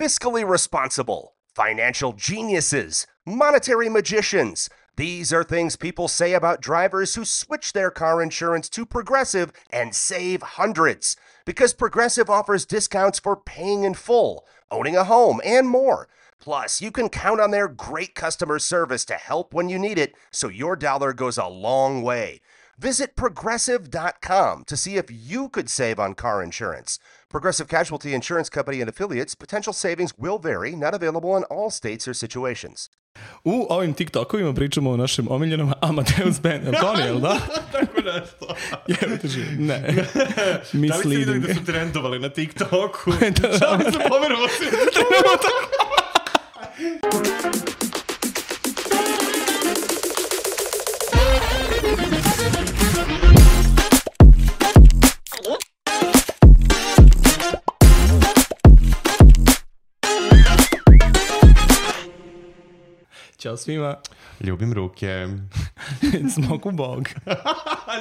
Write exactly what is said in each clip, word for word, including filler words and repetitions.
fiscally responsible, financial geniuses, monetary magicians. These are things people say about drivers who switch their car insurance to Progressive and save hundreds. Because Progressive offers discounts for paying in full, owning a home, and more. Plus, you can count on their great customer service to help when you need it, so your dollar goes a long way. Visit Progressive dot com to see if you could save on car insurance. Progressive Casualty Insurance Company and Affiliates. Potential savings will vary. Not available in all states or situations. U ovim TikTokovima pričamo o našem omiljenom Amadeus Band. Je li to ne, jel da? Tako nešto. Jebate živ. Ne. Da li ste vidjeli Misleading. da su trendovali na TikToku? Da. Šalim se, pomerovo se. Ćao svima. Ljubim ruke. Smoku Bog.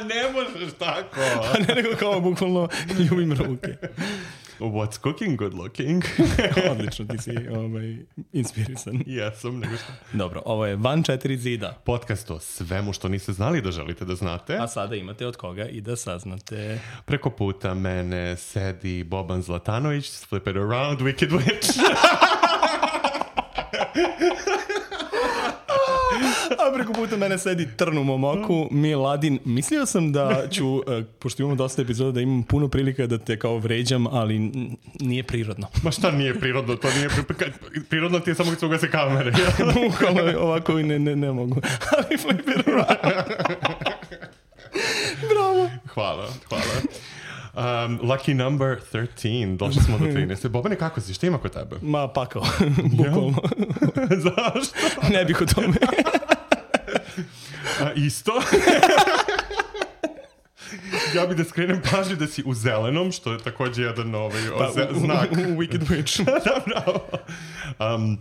Ne možeš tako. A ne nego kao bukvalno ljubim ruke. What's cooking, good looking? Odlično, ti si ovaj, inspirisan. Jesam, nego što. Dobro, ovo je Van četiri zida. Podcast o svemu što niste znali da želite da znate. A sada imate od koga i da saznate. Preko puta mene sedi Boban Zlatanović, flip it around, Wicked Witch. A preko puta mene sedi trn u mom oku, Miladin. Mislio sam da ću, uh, pošto imamo dosta epizoda, da imam puno prilika da te kao vređam, ali n- nije prirodno. Ma šta nije prirodno? To nije pri- prirodno ti je samo kad se ugase kamere. Bukvalno ovako ne, ne, ne mogu. Ali flip it around. Bravo. Hvala, hvala. Um, lucky number thirteen. Došli smo do trinaeste. Bobane, kako si? Šta ima kod tebe? Ma pakao, bukvalno. Zašto? Ne bih o tome. A, isto. Ja bih da skrenem pažnju da si u zelenom, što je također jedan ovaj, Pa, ze- u, znak. U, u Wicked Witch. Da, bravo. Um,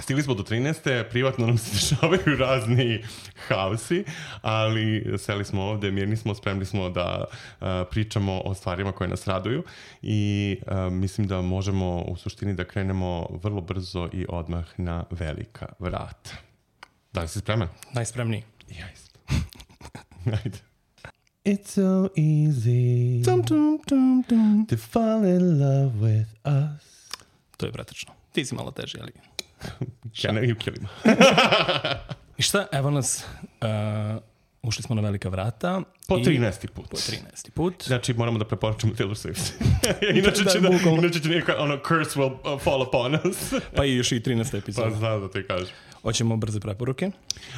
stigli smo do trinaeste. Privatno nam se dešavaju razni haosi, ali seli smo ovde, mirni smo, spremni smo da uh, pričamo o stvarima koje nas raduju i uh, mislim da možemo u suštini da krenemo vrlo brzo i odmah na velika vrata. Da li si spreman? Najspremniji. Ja isto. Ajde. It's so easy Tum, tum, tum, tum. to fall in love with us. To je bratačno. Ti si malo teži, ali... Can you kill him? I šta, evo nas, uh, ušli smo na velika vrata. Po i- trinaesti put. Po trinaesti put. Znači, moramo da preporučimo Taylor Swift. inače, Da, će da, bukvalno. inače će neka, ono, curse will uh, fall upon us. Pa i još i trinaesta Pa epizoda. znam da ti kažem. Hoćemo brze preporuke.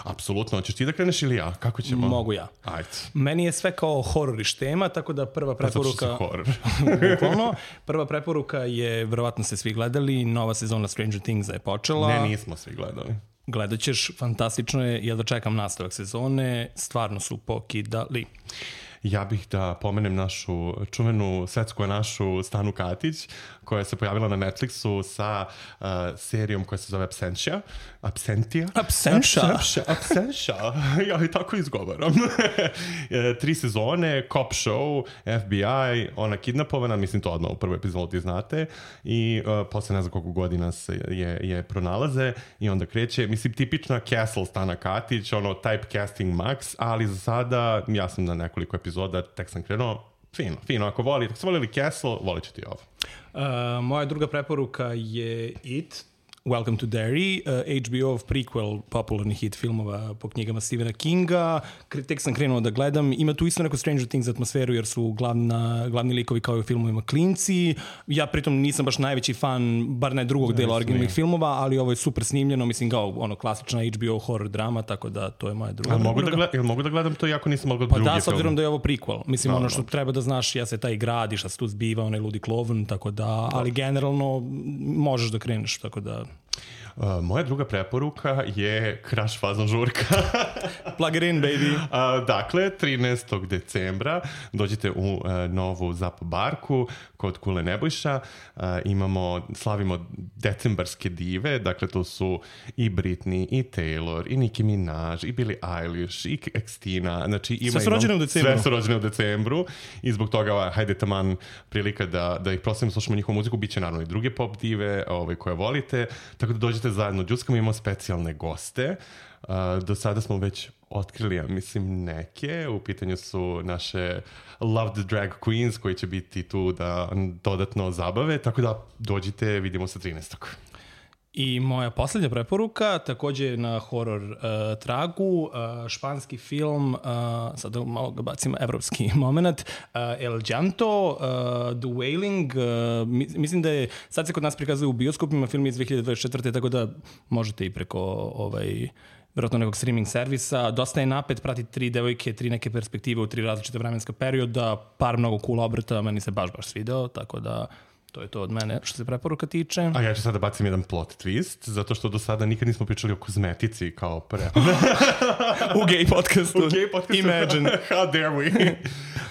Apsolutno. Hoćeš ti da kreneš ili ja? Kako ćemo? Mogu ja. Ajde. Meni je sve kao horor iz tema, tako da prva Pa zato što si preporuka... horor. Bukvalno. Prva preporuka je, verovatno ste svi gledali, nova sezona Stranger Thingsa je počela. Ne, nismo svi gledali. Gledat ćeš, fantastično je, ja da čekam nastavak sezone, stvarno su pokidali. Ja bih da pomenem našu čuvenu svetsku našu Stanu Katić, koja se pojavila na Netflixu sa uh, serijom koja se zove Absentia. Absentia? Absentia? Absentia. Absentia. Ja i tako izgovaram. E, Tri sezone, cop show, F B I, ona kidnapovana, mislim to odmah u prvoj epizodi znate, i uh, posle ne znam koliko godina se je, je pronalaze i onda kreće, mislim tipična Castle Stana Katić, ono typecasting max, ali za sada ja sam na nekoliko epizoda, tek sam krenuo, fino, fino, ako voli, ako ste volili Castle, volit ćete i ovo. Uh, moja druga preporuka je It, Welcome to Derry, uh, H B O-ov prequel popularnih hit filmova po knjigama Stephena Kinga. Kre- Tek sam krenuo da gledam. Ima tu isto neko Stranger Things atmosferu jer su glavna, glavni likovi kao i u filmovima klinci. Ja pritom nisam baš najveći fan, bar ne drugog dela originalnih filmova, ali ovo je super snimljeno, mislim kao ono klasična H B O horror drama, tako da to je moja druga Jel mogu, da preporuka. gled, jel mogu da gledam to iako nisam mogao Pa drugi da, s obzirom film? da je ovo prequel. Mislim, Da, ono da. što treba da znaš, ja se taj gradi, šta se tu zbiva, onaj ludi klovn, tako da, ali generalno možeš da kreneš, tako da... Uh, moja druga preporuka je Crash fazon žurka. Plug it in, baby. Uh, dakle, trinaestog decembra dođite u uh, novu Zap barku kod Kule Nebojša. Uh, imamo, slavimo decembarske dive, dakle to su i Britney, i Taylor, i Nicki Minaj, i Billie Eilish, i Xtina. Znači, ima sve su rođene u decembru. Sve su rođene u decembru i zbog toga, hajde taman prilika da, da ih proslavimo, slušamo njihovu muziku, bit će naravno i druge pop dive ovaj, koje volite, tako da dođete zajedno. Đuckamo, imamo specijalne goste. Uh, do sada smo već otkrili, ja mislim, neke. U pitanju su naše loved drag queens koji će biti tu da dodatno zabave, tako da dođite, vidimo se trinaestog I moja posljednja preporuka, takođe na horor uh, tragu, uh, španski film, uh, sad malo ga bacim evropski moment, uh, El Llanto, uh, The Wailing, uh, mislim da je, sad se kod nas prikazuje u bioskopima, film iz dve hiljade dvadeset četvrte tako da možete i preko ovaj, vjerojatno nekog streaming servisa. Dosta je napet, prati tri devojke, tri neke perspektive u tri različite vremenska perioda, par mnogo cool obrata, meni se baš baš svideo, tako da to je to od mene što se preporuka tiče. A ja ću sada bacim jedan plot twist, zato što do sada nikad nismo pričali o kozmetici kao pre. U gay podcastu. U gay podcastu. Imagine. How dare we?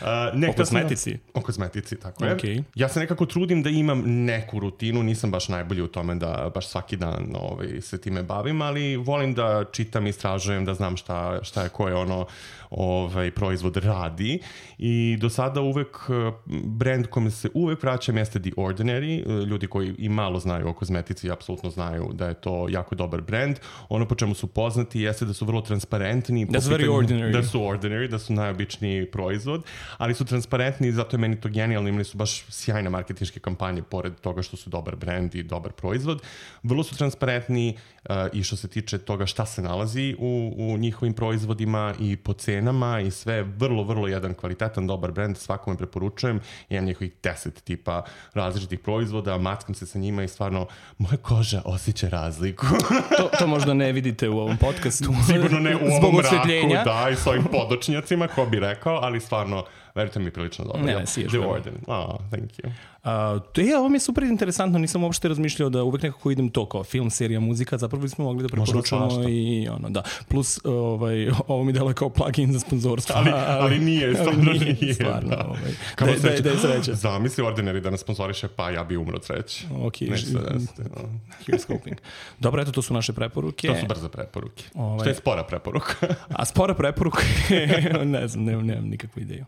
Uh, ne, o kozmetici. O kozmetici, tako je. Okay. Ja se nekako trudim da imam neku rutinu, nisam baš najbolji u tome da baš svaki dan ovaj, se time bavim, ali volim da čitam, istražujem, da znam šta, šta je koje ono ovaj, proizvod radi. I do sada uvek brand kome se uvek vraćam jeste The Ordinary. Ljudi koji i malo znaju o kozmetici apsolutno znaju da je to jako dobar brand. Ono po čemu su poznati jeste da su vrlo transparentni. That's very ordinary. Da su ordinary, da su najobičniji proizvod, ali su transparentni i zato je meni to genijalno. Imali su baš sjajne marketinške kampanje pored toga što su dobar brand i dobar proizvod. Vrlo su transparentni uh, i što se tiče toga šta se nalazi u, u njihovim proizvodima i po cenama i sve. Vrlo, vrlo jedan kvalitetan, dobar brand. Svakome preporučujem. Imam njihovih deset tipa različitih proizvoda, mackam se sa njima i stvarno moja koža osjeća razliku. to, to možda ne vidite u ovom podcastu. Sigurno ne u Zbog ovom osvetljenja. mraku, da, i s ovim podočnjacima, ko bi rekao, ali stvarno, verujte mi, prilično dobro. Ne, ne, siješ. The Ordinary. Oh, thank you. Uh, to je, ovo mi je super interesantno, nisam uopšte razmišljao da uvek nekako idem to kao film, serija, muzika, zapravo bismo mogli da preporučamo i ono, da. Plus, ovaj, ovo mi delo je kao plugin za sponzorstvo. Ali, ali nije, stvarno ali nije. nije. Stvarno, da. ovaj. Kao Da, sreća. da, da je sreća. Zamisli Ordinary da nas sponzoriše, pa ja bi umro treći. Ok, Neće se desiti. here's hoping. Dobro, eto, to su naše preporuke. To su brze preporuke. Ovaj. Što je spora preporuka? A spora preporuka, ne znam, nemam, nemam nikakvu ideju.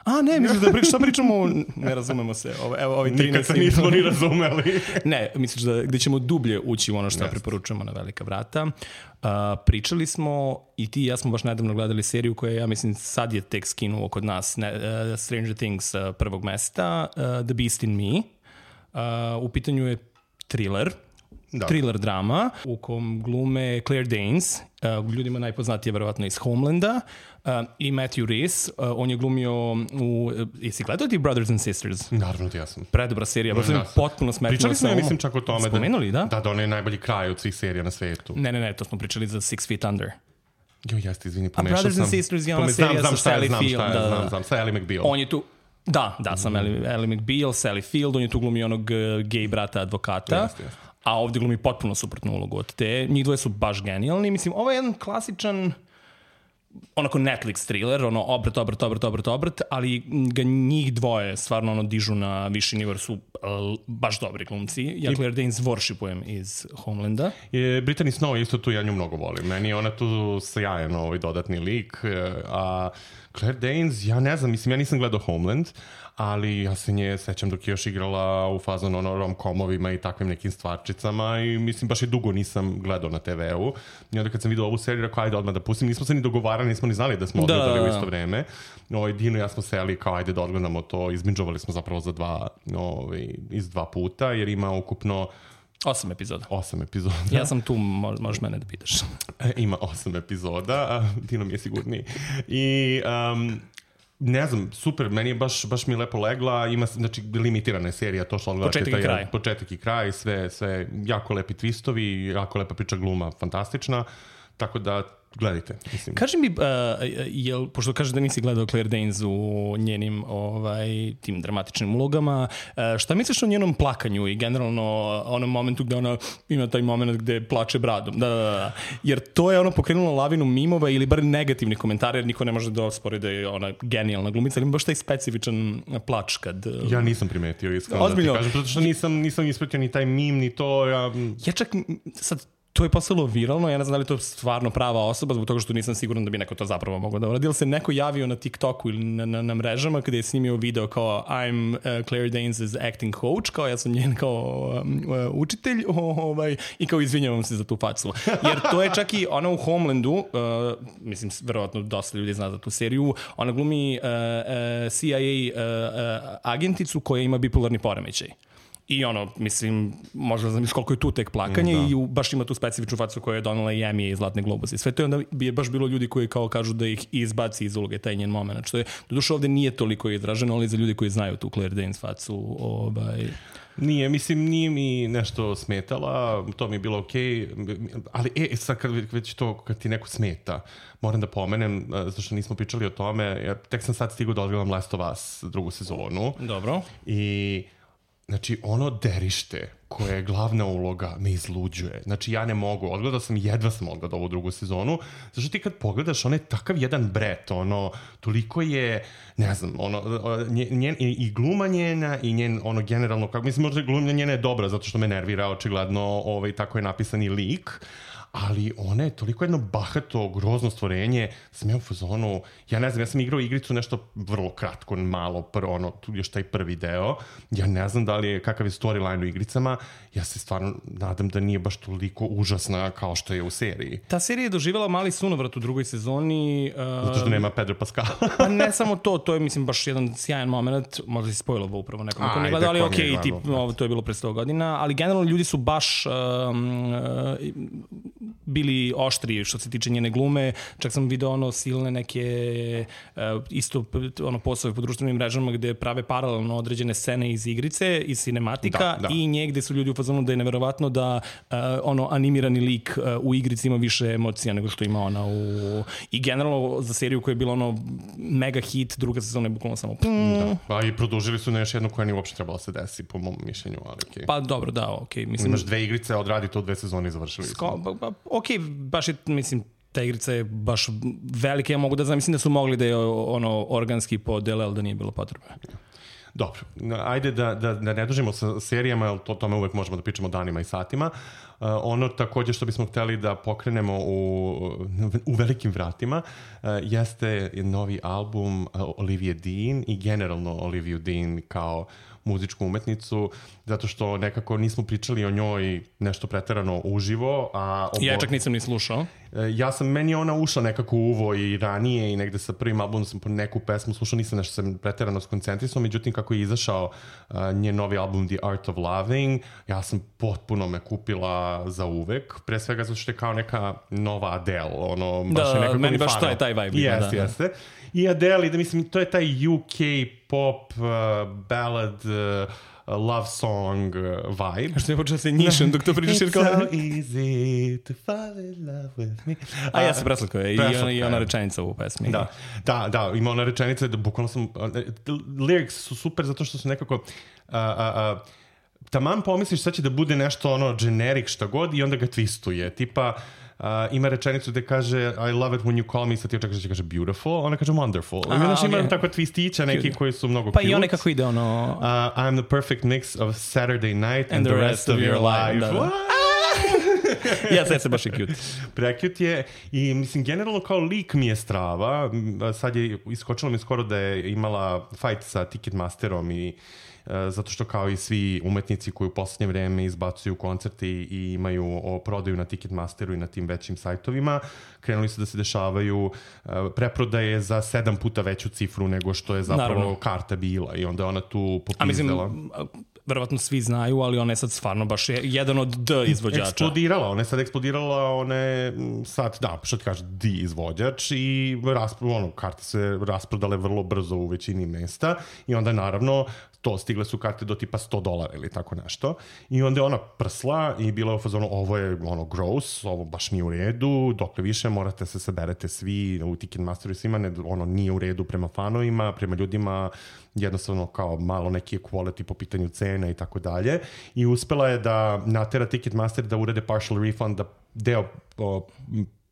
A, ne, misliš da pričamo, šta pričamo, ne razumemo se. Ovo, evo, ovi Nikad se nismo ni razumeli. Ne, misliš da gde ćemo dublje ući u ono što Yes. preporučujemo na Velika vrata. Uh, pričali smo, i ti i ja smo baš nedavno gledali seriju koja, ja mislim, sad je tek skinuo kod nas, ne, uh, Stranger Things uh, prvog mesta, uh, The Beast in Me. Uh, u pitanju je thriller, Da. thriller drama u kom glume Claire Danes, uh, ljudima najpoznatije verovatno iz Homelanda, uh, i Matthew Rhys. Uh, on je glumio u... Uh, jesi gledao ti Brothers and Sisters? Naravno ti jesam. Predobra serija, baš sam Ja sam. potpuno smetnula. Pričali smo, sa ja umom. mislim, čak o tome. Spomenuli, da? Da, da, on je najbolji kraj od svih serija na svetu. Ne, ne, ne, to smo pričali za Six Feet Under. Jo, jeste, izvini, pomešao sam. Brothers and Sisters je ona Pome- znam, serija znam sa šta je, Sally znam Field, šta je, da, znam, da. znam, sa Ellie McBeal. On je tu... Da, da, sam Ellie, Ellie McBeal, Sally Field, on je tu glumi onog uh, gay brata advokata. Jeste, jeste. A ovde glumi potpuno suprotnu ulogu od te. Njih dvoje su baš genijalni. Mislim, ovo je jedan klasičan onako Netflix thriller, ono obrt, obrt, obrt, obrt, obrt, ali ga njih dvoje stvarno ono dižu na viši nivo, su uh, baš dobri glumci. Ja Claire Danes worshipujem iz Homelanda. Je, Brittany Snow isto tu, ja nju mnogo volim. Meni je ona tu sjajan ovaj dodatni lik. e, A Claire Danes, ja ne znam, mislim, ja nisam gledao Homeland, ali ja se nje sećam dok je još igrala u fazonu ono rom-komovima i takvim nekim stvarčicama i mislim, baš i dugo nisam gledao na te veu. I onda kad sam vidio ovu seriju, rekao, ajde odmah da pustim. Nismo se ni dogovarali, nismo ni znali da smo Da, odgledali da, u da. isto vreme. Ovaj, Dino i ja smo seli kao, ajde da odgledamo to. Izbinđovali smo zapravo za dva, ovaj, iz dva puta, jer ima ukupno Osam epizoda. osam epizoda. Ja sam tu, mo- možeš mene da pitaš. E, ima osam epizoda, a Dino mi je sigurniji. I um, ne znam, super, meni je baš, baš mi je lepo legla, ima, znači, limitirana je serija, to što odgledate. Početak i kraj. Početak i kraj, sve, sve jako lepi twistovi, jako lepa priča gluma, fantastična. tako da gledajte, mislim. Kaži mi, uh, jel, pošto kažeš da nisi gledao Claire Danes u njenim ovaj, tim dramatičnim ulogama, uh, šta misliš o njenom plakanju i generalno onom momentu gde ona ima taj moment gde plače bradom? Da, da, da. Jer to je ono pokrenulo lavinu mimova ili bar negativnih komentara, jer niko ne može da ospori da je ona genijalna glumica, ali ima baš taj specifičan plač kad... Ja nisam primetio, iskreno da ti kažem, zato što nisam, nisam ispratio ni taj mim, ni to. Ja, ja čak sad... To je postalo viralno, ja ne znam da li to stvarno prava osoba, zbog toga što nisam siguran da bi neko to zapravo mogao da uradi. Ili se neko javio na TikToku ili na, na, na mrežama kada je snimio video kao I'm uh, Claire Danes' acting coach, kao ja sam njen kao um, uh, učitelj ovaj, i kao izvinjavam se za tu facu. Jer to je čak i ona u Homelandu, uh, mislim, verovatno dosta ljudi zna za tu seriju, ona glumi uh, uh, C I A uh, uh, agenticu koja ima bipolarni poremećaj. I ono, mislim, možda znam koliko je tu tek plakanje mm, i u, baš ima tu specifičnu facu koja je donala i Emmy i Zlatne globuse. Sve to je onda bi je baš bilo ljudi koji kao kažu da ih izbaci iz uloge taj njen moment. Što je, doduše ovde nije toliko izraženo, ali za ljudi koji znaju tu Claire Danes facu, ovaj... Nije, mislim, nije mi nešto smetala, to mi je bilo okej, okay, ali e, sad kad već to, kad ti neko smeta, moram da pomenem, zato što nismo pričali o tome, jer tek sam sad stigao da odgledam Last of Us drugu sezonu. Dobro. I... Znači, ono derište koje je glavna uloga me izluđuje. Znači, ja ne mogu. Odgledao sam, jedva sam odgledao ovu drugu sezonu. Zašto ti kad pogledaš, on je takav jedan bret, ono, toliko je, ne znam, ono, njen, i gluma njena i njen, ono, generalno, kako, mislim, možda gluma njena je dobra, zato što me nervira, očigledno, ovaj, tako je napisani lik, ali ona je toliko jedno bahato, grozno stvorenje, sam ja u fazonu, ja ne znam, ja sam igrao igricu nešto vrlo kratko, malo, pr, ono, tu još taj prvi deo, ja ne znam da li je, kakav je storyline u igricama, ja se stvarno nadam da nije baš toliko užasna kao što je u seriji. Ta serija je doživjela mali sunovrat u drugoj sezoni. Uh, Zato što nema Pedro Pascal. Pa ne samo to, to je, mislim, baš jedan sjajan moment, možda si spojilo upravo nekom ko ne gleda, ali okej, okay, tip, ovo, to je bilo pre sto godina, ali generalno ljudi su baš um, uh, bili oštri što se tiče njene glume, čak sam video ono silne neke uh, isto ono postave po društvenim mrežama gde prave paralelno određene scene iz igrice, iz cinematika da, da. I nje gde su ljudi u fazonu da je neverovatno da uh, ono animirani lik uh, u igrici ima više emocija nego što ima ona u... I generalno za seriju koja je bila ono mega hit, druga sezona je bukvalno samo... Da. Pa i produžili su na još jednu koja nije uopšte trebala se desi po mom mišljenju, ali okej. Okay. Pa dobro, da, okej. Okay. Mislim... Imaš dve igrice, odradi to dve sezone i završili Sko... Pa, pa, okej, okay, baš je, mislim, ta igrica je baš velika, ja mogu da znam, mislim da su mogli da je ono organski podele, ali da nije bilo potrebe. Dobro, ajde da, da, da ne dužimo sa serijama, jer to tome uvek možemo da pričamo danima i satima. Uh, ono također što bismo hteli da pokrenemo u, u velikim vratima uh, jeste novi album uh, Olivia Dean i generalno Olivia Dean kao muzičku umetnicu, zato što nekako nismo pričali o njoj nešto preterano uživo. A obo... Ja čak nisam ni slušao. Ja sam, meni je ona ušla nekako u uvo i ranije i negde sa prvim albumom sam po neku pesmu slušao, nisam nešto sam preterano skoncentrisao, međutim kako je izašao uh, njen novi album The Art of Loving, ja sam potpuno me kupila za uvek, pre svega zato što je kao neka nova Adele, ono, baš da, je nekako meni baš taj, taj vibe. Jeste, da, jeste. I Adele, da mislim, to je taj U K pop, uh, ballad, uh, love song uh, vibe. Što je počeo se njišem dok to pričaš jer kao... It's so easy to fall in love with me. A ja sam preslatko je i ona, i ona rečenica u pesmi. Da, da, da, ima ona rečenica da bukvalno sam... Uh, lyrics su super zato što su nekako... Uh, uh, uh, taman pomisliš sad će da bude nešto ono generic šta god i onda ga twistuje. Tipa... Uh, ima rečenicu gde kaže I love it when you call me, sad ti očekaš da će kaže beautiful, ona kaže wonderful. Aha, znaš, okay. Ima tako twistića neki koji su mnogo pa cute. Pa i one kako ide ono... Uh, I'm the perfect mix of Saturday night and, and the rest, rest of, of your, your life. Da, da. Ja, sad se baš je cute. Precute je i mislim generalno kao lik mi je strava. Sad je iskočilo mi skoro da je imala fight sa Ticketmasterom i uh, zato što kao i svi umetnici koji u poslednje vreme izbacuju koncerte i imaju o, prodaju na Ticketmasteru i na tim većim sajtovima, krenuli su da se dešavaju uh, preprodaje za sedam puta veću cifru nego što je zapravo Naravno. karta bila i onda ona tu popizdala. A mislim, verovatno svi znaju, ali ona je sad stvarno baš je jedan od D izvođača. Eksplodirala, ona je sad eksplodirala, ona je sad, da, što ti kaže, D izvođač i raspro, ono, karte se rasprodale vrlo brzo u većini mesta i onda naravno to, stigle su karte do tipa sto dolara ili tako nešto. I onda je ona prsla i bila u fazonu, ovo je ono gross, ovo baš nije u redu, dokle više morate se saberete svi u Ticketmasteru i svima, ne, ono nije u redu prema fanovima, prema ljudima, jednostavno kao malo neki equality po pitanju cena i tako dalje. I uspela je da natera Ticketmaster da urede partial refund, da deo o,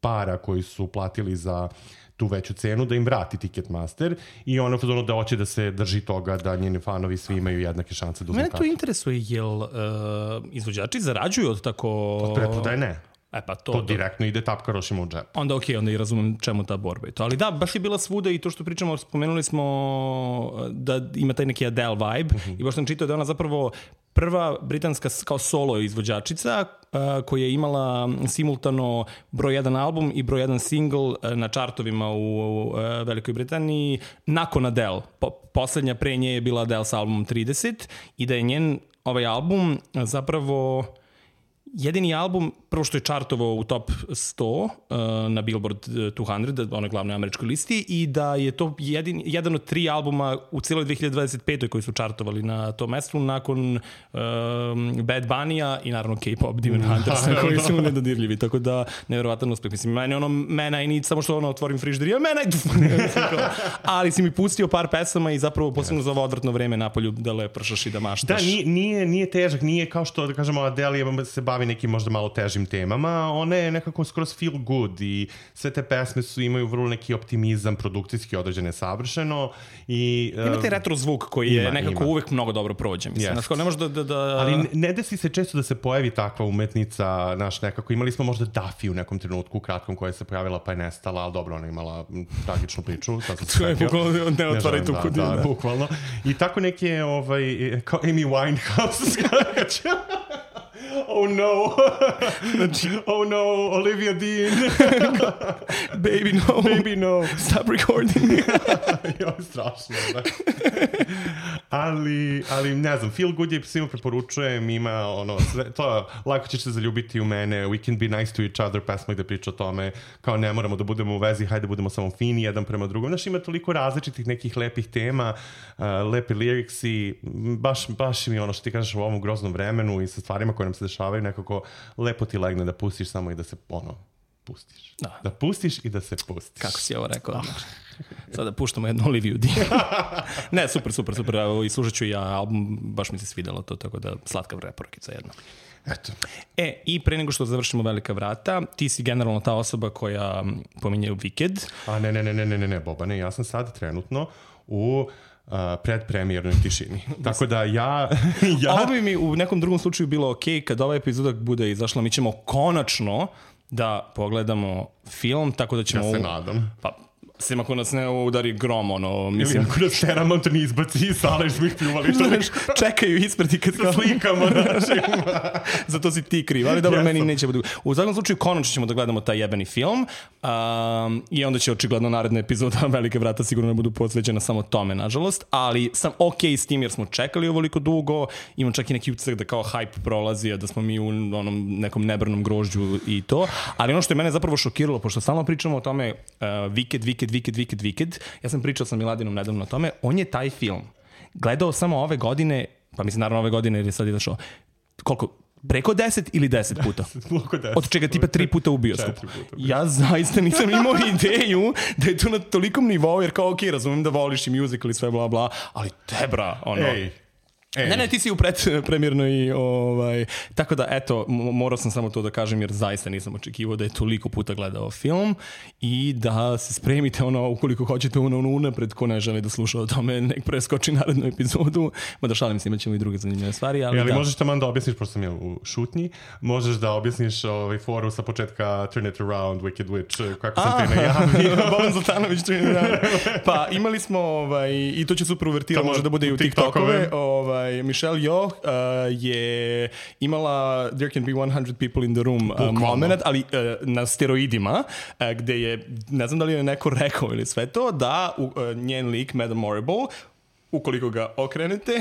para koji su platili za tu veću cenu, da im vrati Ticketmaster i ono fazonu da hoće da se drži toga da njeni fanovi svi imaju jednake šanse da uzme Mene kartu. to interesuje, jel uh, izvođači zarađuju od tako... Od preprodaje ne. E pa to, To direktno ide tapkarošima u džep. Onda okej, okay, onda i razumem čemu ta borba i to. Ali da, baš je bila svuda i to što pričamo, spomenuli smo da ima taj neki Adele vibe uh-huh. i baš sam čitao da ona zapravo prva britanska kao solo izvođačica uh, koja je imala simultano broj jedan album i broj jedan single uh, na čartovima u uh, Velikoj Britaniji nakon Adele. Po, poslednja pre nje je bila Adele sa albumom trideset i da je njen ovaj album zapravo jedini album, prvo što je čartovao u top sto uh, na Billboard dvesta, onoj glavnoj američkoj listi, i da je to jedin, jedan od tri albuma u cijeloj dve hiljade dvadeset pete koji su čartovali na tom mestu nakon um, Bad Bunny-a i naravno K-pop Demon Huntersa koji su nedodirljivi, tako da nevjerovatan uspeh. Mislim, meni ono, mena i nic, samo što ono otvorim frižder i ja mena i ali si mi pustio par pesama i zapravo posebno za ovo odvrtno vreme napolju da lepršaš i da maštaš. Da, nije, nije, nije težak, nije kao što, da kažemo, Adele se bavi nekim možda malo težim temama, ona je nekako skroz feel good i sve te pesme su, imaju vrlo neki optimizam, produkcijski određene savršeno i... Uh, ima taj retro zvuk koji je ima, nekako ima. uvek mnogo dobro prođe, mislim. Yes. Ne može da, da, da... Ali ne, ne desi se često da se pojavi takva umetnica, naš nekako, imali smo možda Duffy u nekom trenutku, u kratkom, koja se pojavila pa je nestala, ali dobro, ona je imala tragičnu priču. To je bukvalno, ne otvaraj tu kudinu. Da, da, bukvalno. I tako neke, ovaj, kao Amy Winehouse skakaća. Oh no, oh no, Olivia Dean. Baby no, baby no. Stop recording. Jo, strašno, da. ali, ali ne znam, feel good je svima preporučujem, ima ono, sve, to lako ćeš se zaljubiti u mene, we can be nice to each other, pesma gde priča o tome, kao ne moramo da budemo u vezi, hajde budemo samo fini jedan prema drugom. Znaš, ima toliko različitih nekih lepih tema, uh, lepi liriksi, baš, baš mi ono što ti kažeš u ovom groznom vremenu i sa stvarima koje nam se dešavaju, nekako lepo ti legne da pustiš samo i da se ono, pustiš. Da, da pustiš i da se pustiš. Kako si ovo rekao? Da. Sada puštamo jednu Oliviju Dean. Ne, super, super, super. Evo, i slušat ću ja album, baš mi se svidjelo to, tako da slatka preporukica jedna. Eto. E, i pre nego što završimo Velika vrata, ti si generalno ta osoba koja pominje Wicked. A ne, ne, ne, ne, ne, ne, Bobane, ja sam sad trenutno u Uh, predpremijernoj tišini. Tako da ja... ja... Ovo bi mi u nekom drugom slučaju bilo ok, kad ova epizoda bude izašla, mi ćemo konačno da pogledamo film, tako da ćemo... Ja se u... nadam. Pa, sem ako nas ne udari grom, ono, mislim... Ili ako nas Paramount ne izbaci iz sale jer smo ih pljuvali. Znaš, čekaju ispred i kad... Sa slikama našim. Zato si ti kriv, ali dobro, yes. Meni neće budu... U svakom slučaju, konačno ćemo da gledamo taj jebeni film um, i onda će očigledno naredna epizoda Velike vrata sigurno ne budu posvećena samo tome, nažalost, ali sam ok s tim jer smo čekali ovoliko dugo, imam čak i neki utisak da kao hype prolazi, da smo mi u onom nekom nebrnom grožđu i to, ali ono što je mene zapravo šokiralo, pošto stalno pričamo o tome uh, Wicked, Wicked, Wicked, Wicked, Wicked, ja sam pričao sa Miladinom nedavno o tome, on je taj film gledao samo ove godine, pa mislim naravno ove godine jer je sad izašao, koliko, preko deset ili deset puta? Od čega tipa tri puta u bioskopu. Ja zaista nisam imao ideju da je to na tolikom nivou, jer kao ok, razumem da voliš i musical i sve bla bla, ali tebra, ono... Ej. Ej. Ne, ne, ti si u predpremjernoj, ovaj, tako da, eto, morao sam samo to da kažem jer zaista nisam očekivao da je toliko puta gledao film i da se spremite, ono, ukoliko hoćete ono, ono unapred, ko ne želi da sluša o tome, nek preskoči narednu epizodu, mada šalim se, imat ćemo i druge zanimljive stvari, ali, ali da. Možeš tamo da objasniš, pošto sam ja u šutnji, možeš da objasniš ovaj, foru sa početka Turn It Around, Wicked Witch, kako sam te najavio. Boban Zoltanović, Turn It Around. Pa imali smo, ovaj, i to će super uvertira, može da bude i u TikTokove, ovaj, Michelle Yeoh uh, je imala There Can Be one hundred People in the Room uh, moment, ali uh, na steroidima, uh, gde je, ne znam da li je neko rekao ili sve to, da uh, njen lik, Madame Morrible, ukoliko ga okrenete,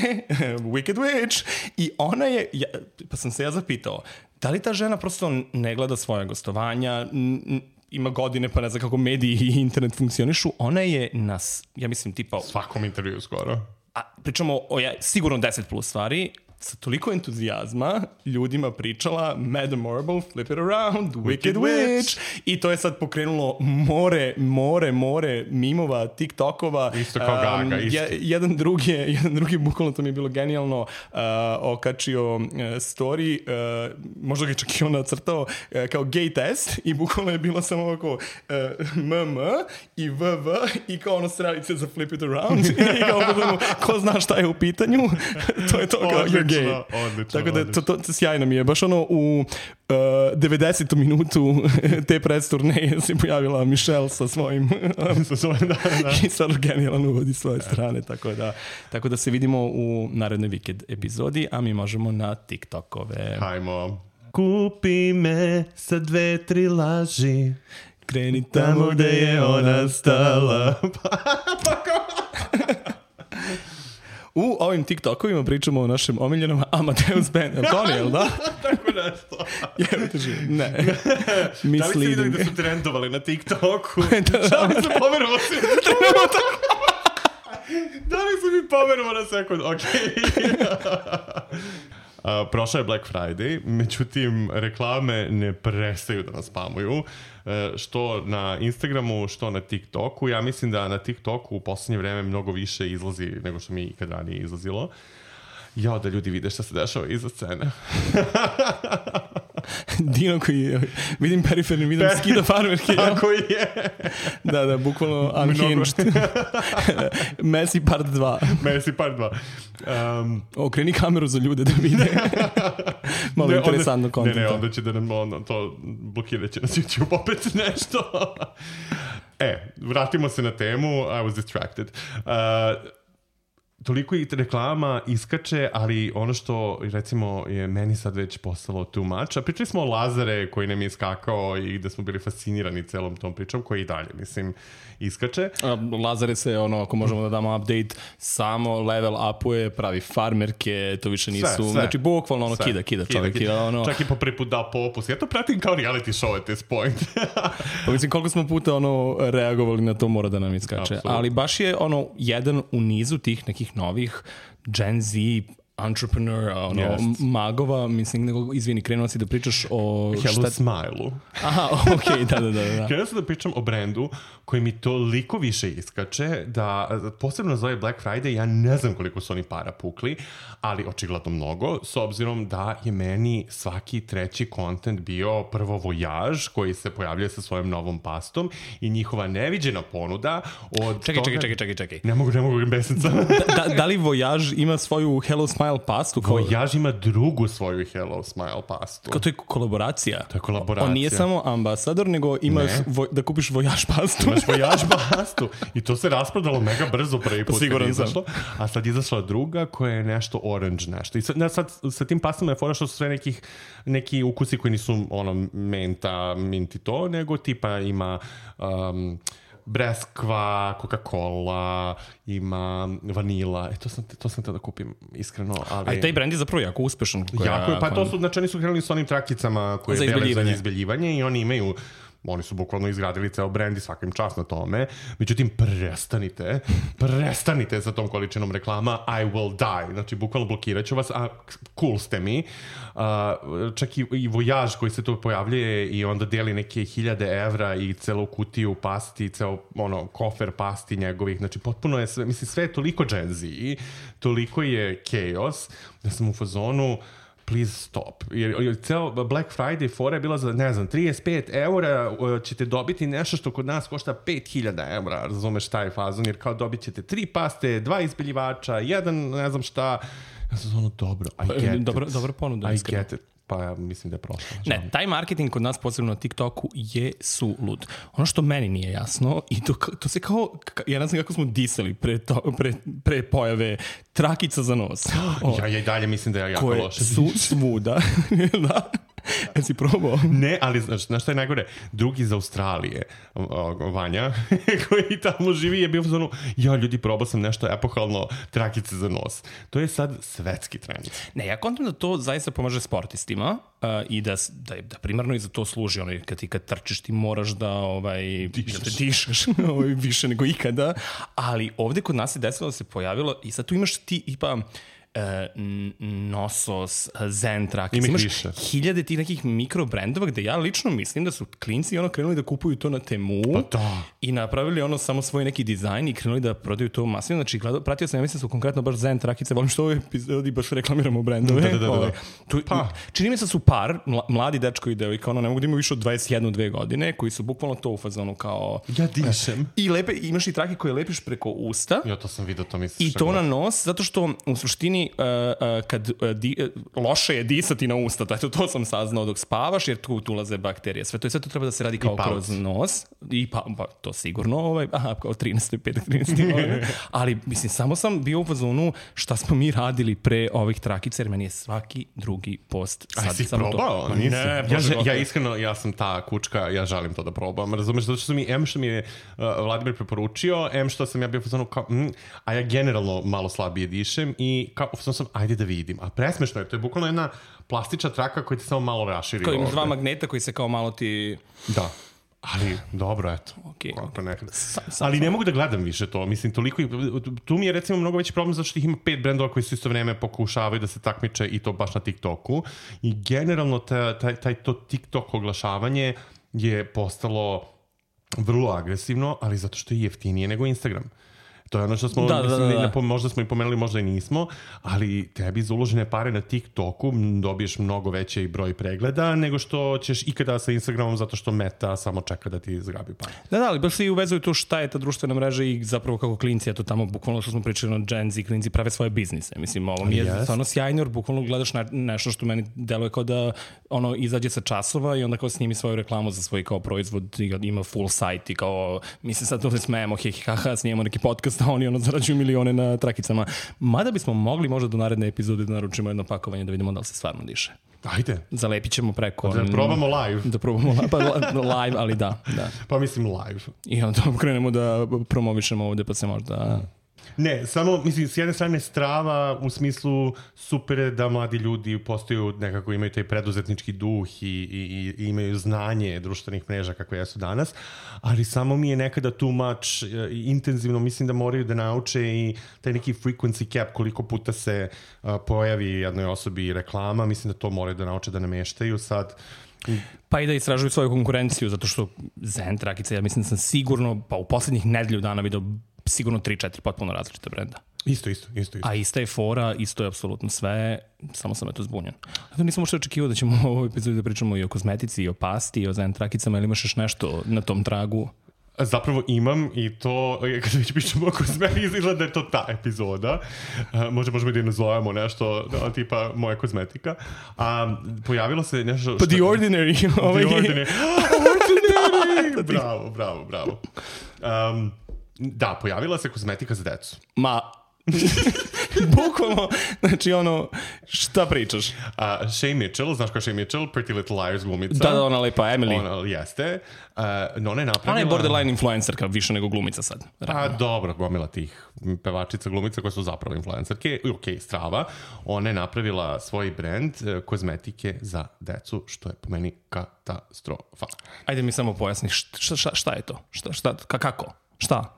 Wicked Witch, i ona je, ja, pa sam se ja zapitao, da li ta žena prosto ne gleda svoje gostovanja, n- ima godine, pa ne znam kako mediji i internet funkcionišu, ona je nas, ja mislim, tipa... Svakom intervju skoro. a pričamo o ja, sigurno deset plus stvari, sa toliko entuzijazma ljudima pričala Madame Marble, Flip It Around, Wicked, Wicked Witch. Witch. I to je sad pokrenulo more, more, more mimova, TikTokova. Isto kao Gaga, um, isto. Je, jedan drugi, jedan drugi, bukvalno to mi je bilo genijalno, uh, okačio uh, story, uh, možda ga čak i on nacrtao uh, kao gay test i bukvalno je bilo samo ovako uh, M M i V V i kao ono strelice za Flip It Around i kao bukvalno, ko zna šta je u pitanju, to je to kao Odlično, gay. Odlično, tako da odlično. to, to, to sjajno mi je. Baš ono u uh, devedesetom minutu te predturneje se pojavila Michelle sa svojim sa svojim, da, da. i stvarno genijalan uvodi svoje strane. Tako da, tako da se vidimo u narednoj Wicked epizodi, a mi možemo na TikTokove. Hajmo. Kupi me sa dve, tri laži. Kreni tamo gde je ona stala. U ovim TikTokovima pričamo o našem omiljenom Amadeus Band. Je li to je, da? Tako nešto. Jel te živi? Ne. Da li ste vidjeli da su trendovali na TikToku? Šta mi se pomerovo se? Da li su mi pomerovo na sekund? Okej. Uh, prošao je Black Friday, međutim reklame ne prestaju da nas spamuju, uh, što na Instagramu, što na TikToku. Ja mislim da na TikToku u poslednje vreme mnogo više izlazi nego što mi ikad ranije izlazilo. Jao, da ljudi vide šta se dešava iza scene. Dino koji, vidim periferni, vidim Pe- skida farmerke. Tako je. Da, da, bukvalno unhinged. Messi part dva. Messi part dva. Um, Okreni kameru za ljude da vide. Malo ne, interesantno kontenta. Ne, ne, onda će da nam on, to blokirat će nas YouTube opet nešto. E, vratimo se na temu. I was distracted. Uh, toliko i reklama iskače, ali ono što recimo je meni sad već postalo too much, a pričali smo o Lazare koji nam je iskakao i da smo bili fascinirani celom tom pričom, koji i dalje, mislim, iskače. Lazare se, ono, ako možemo da damo update, samo level upuje, pravi farmerke, to više nisu, sve, sve, znači bukvalno ono sve. kida, kida čovjek. Kida, kida. Ono... Čak i po prvi put dao popus. Ja to pratim kao reality show at this point. Pa mislim, koliko smo puta ono reagovali na to, mora da nam iskače. Absolutely. Ali baš je ono jedan u nizu tih nekih novih Gen Z entrepreneur, ono, yes. magova, mislim, nego, izvini, krenuo si da pričaš o... Hello šta... Smile-u. Aha, okej, okay, da, da, da. da. Krenuo sam da pričam o brendu koji mi toliko više iskače da, posebno za ovaj Black Friday, ja ne znam koliko su oni para pukli, ali očigledno mnogo, s obzirom da je meni svaki treći kontent bio prvo Voyage, koji se pojavljuje sa svojom novom pastom i njihova neviđena ponuda od čekaj, toga... Čekaj, čekaj, čekaj, čekaj. Ne mogu, ne mogu besnica. da, da li Voyage ima svoju Hello Smile pastu? Kao... Voyage ima drugu svoju Hello Smile pastu. Kao to je kolaboracija? To je kolaboracija. On nije samo ambasador, nego imaš vo, da kupiš Voyage pastu. Imaš Voyage pastu. I to se rasprodalo mega brzo prvi put. Siguran sam. A sad izašla druga koja je nešto orange nešto. I sad, ne, sad sa tim pastama je fora što su sve nekih, neki ukusi koji nisu ono menta, minti to, nego tipa ima... Um, breskva, Coca-Cola, ima vanila. E, to sam, to sam te da kupim, iskreno. Ali... A i taj brand je zapravo jako uspešan. Koja, jako je, pa to su, znači oni su krenuli s onim trakicama koje je bele za izbeljivanje i oni imaju, oni su bukvalno izgradili ceo brand i svaka im čast na tome. Međutim, prestanite, prestanite sa tom količinom reklama, I will die. Znači, bukvalno blokirat ću vas, a cool ste mi. Uh, čak i, i Voyage koji se tu pojavljuje i onda deli neke hiljade evra i celu kutiju pasti, ceo ono, kofer pasti njegovih. Znači, potpuno je sve, mislim, sve je toliko Gen Z, toliko je chaos, da sam u fazonu please stop. Jer ceo Black Friday fora je bila za, ne znam, trideset pet eura ćete dobiti nešto što kod nas košta pet hiljada eura, razumeš taj fazon, jer kao dobit ćete tri paste, dva izbeljivača, jedan, ne znam šta. Ja sam ono, dobro, I get dobro, it. Dobro ponuda. I iskreno. get it. Pa ja mislim da je prošlo. Ne, taj marketing kod nas, posebno na TikToku, je sulud. Ono što meni nije jasno, i to, to se kao, ja ne znam kako smo disali pre, to, pre, pre pojave trakica za nos. O, ja, ja i dalje mislim da je jako koje loše. Koje su svuda. Da. Jesi probao? Ne, ali znaš, znaš šta je najgore? Drugi iz Australije, o, o, Vanja, koji tamo živi, je bio u zonu, ja ljudi, probao sam nešto epohalno, trakice za nos. To je sad svetski trend. Ne, ja kontam da to zaista pomaže sportistima uh, i da, da, da primarno i za to služi. Ono, kad ti kad trčiš ti moraš da, ovaj, da te dišeš ovaj, više nego ikada. Ali ovde kod nas je desilo da se pojavilo i sad tu imaš ti ipa Nosos, Zen Trakic, imaš više. hiljade tih nekih mikrobrendova gde ja lično mislim da su klinci ono krenuli da kupuju to na Temu pa da. I napravili ono samo svoj neki dizajn i krenuli da prodaju to masivno. Znači, gledao, pratio sam, ja mislim da su konkretno baš Zen Trakice, volim što u ovoj epizodi baš reklamiramo brendove. Da, da, da, da. Ove, tu, pa. Čini mi se da su par, mladi dečko i devojka, ono ne mogu da imaju više od dvadeset jednu dve godine, koji su bukvalno to u fazonu kao... Ja dišem. I lepe, imaš i trake koje lepiš preko usta. Ja to sam vidio, to misliš. I to na nos, zato što u suštini Uh, uh, kad uh, di, uh, loše je disati na usta, to, eto, to sam saznao dok spavaš, jer tu, tu ulaze bakterije. Sve to, sve to treba da se radi kao kroz nos. I pa, pa to sigurno, ovaj, aha, kao trinaest, pet, trinaest ali mislim, samo sam bio u fazonu šta smo mi radili pre ovih trakica, jer meni je svaki drugi post sad. A si samo probao? To. Nisam. Ne, ja, ja iskreno, ja sam ta kučka, ja želim to da probam. Razumeš, zato što mi, em što mi je uh, Vladimir preporučio, em što sam ja bio u fazonu kao, mm, a ja generalno malo slabije dišem i kao, sam sam, ajde da vidim. A presmešno je, to je bukvalno jedna plastična traka koja ti samo malo raširi. Kao imaš dva magneta koji se kao malo ti... Da. Ali, dobro, eto. Okay. Kako nekada. Sam, sam, ali ne mogu da gledam više to. Mislim, toliko... Tu mi je, recimo, mnogo veći problem zato što ih ima pet brendova koji su isto vreme pokušavaju da se takmiče i to baš na TikToku. I generalno taj, taj, taj to TikTok oglašavanje je postalo vrlo agresivno, ali zato što je jeftinije nego Instagram. To je ono što smo, da, mislim, da, da, da. Ne, možda smo i pomenuli, možda i nismo, ali tebi za uložene pare na TikToku dobiješ mnogo veći broj pregleda nego što ćeš ikada sa Instagramom zato što Meta samo čeka da ti zgrabi pare. Da, da, ali baš svi uvezuju tu šta je ta društvena mreža i zapravo kako klinci, eto tamo bukvalno što smo pričali na Gen Z, klinci prave svoje biznise. Mislim, ovo mi je yes. stvarno sjajno, jer bukvalno gledaš na, nešto što meni deluje kao da ono izađe sa časova i onda kao snimi svoju reklamu za svoj kao proizvod, ima full sajt i kao, mi se sad ovdje smejemo, he, he, ha, ha, snijemo neki podcast, a oni ono zarađuju milione na trakicama. Mada bismo mogli možda do naredne epizode da naručimo jedno pakovanje da vidimo da li se stvarno diše. Ajde. Zalepit ćemo preko... Da probamo live. Da probamo pa, live, ali da, da. Pa mislim live. I onda krenemo da promovišemo ovde pa se možda... Ne, samo, mislim, s jedne strane strava u smislu super je da mladi ljudi postaju nekako, imaju taj preduzetnički duh i, i, i imaju znanje društvenih mreža kakve jesu danas, ali samo mi je nekada too much uh, intenzivno, mislim da moraju da nauče i taj neki frequency cap koliko puta se uh, pojavi jednoj osobi reklama, mislim da to moraju da nauče da nameštaju sad. Pa i da istražuju svoju konkurenciju, zato što Zen Trakica, ja mislim da sam sigurno, pa u poslednjih nedelju dana vidio sigurno tri četiri potpuno različite brenda. Isto, isto, isto, isto. A ista je fora, isto je apsolutno sve, samo sam eto zbunjen. Zato nisam uopšte očekivao da ćemo u ovoj epizodi da pričamo i o kozmetici, i o pasti, i o Zen Trakicama, ili imaš još nešto na tom tragu? Zapravo imam i to, kada već pričamo o kozmetici, izgleda da je to ta epizoda. Uh, možda možemo da je nazovemo nešto, da, tipa moja kozmetika. A pojavilo se nešto... Pa što... The Ordinary. The Ordinary. Ordinary! Bravo, bravo, bravo. Um, da, pojavila se kozmetika za decu. Ma... Bukvalno, znači ono, šta pričaš? Uh, Shay Mitchell, znaš kao Shay Mitchell, Pretty Little Liars glumica. Da, da, ona lepa, Emily. Ona, jeste. Uh, no ona je napravila... Ona je borderline influencerka, više nego glumica sad. A dobro, gomila tih pevačica, glumica koje su zapravo influencerke. Ok, strava. Ona je napravila svoj brand uh, kozmetike za decu, što je po meni katastrofa. Ajde mi samo pojasni, šta, šta, šta je to? Šta, šta, kako? Šta?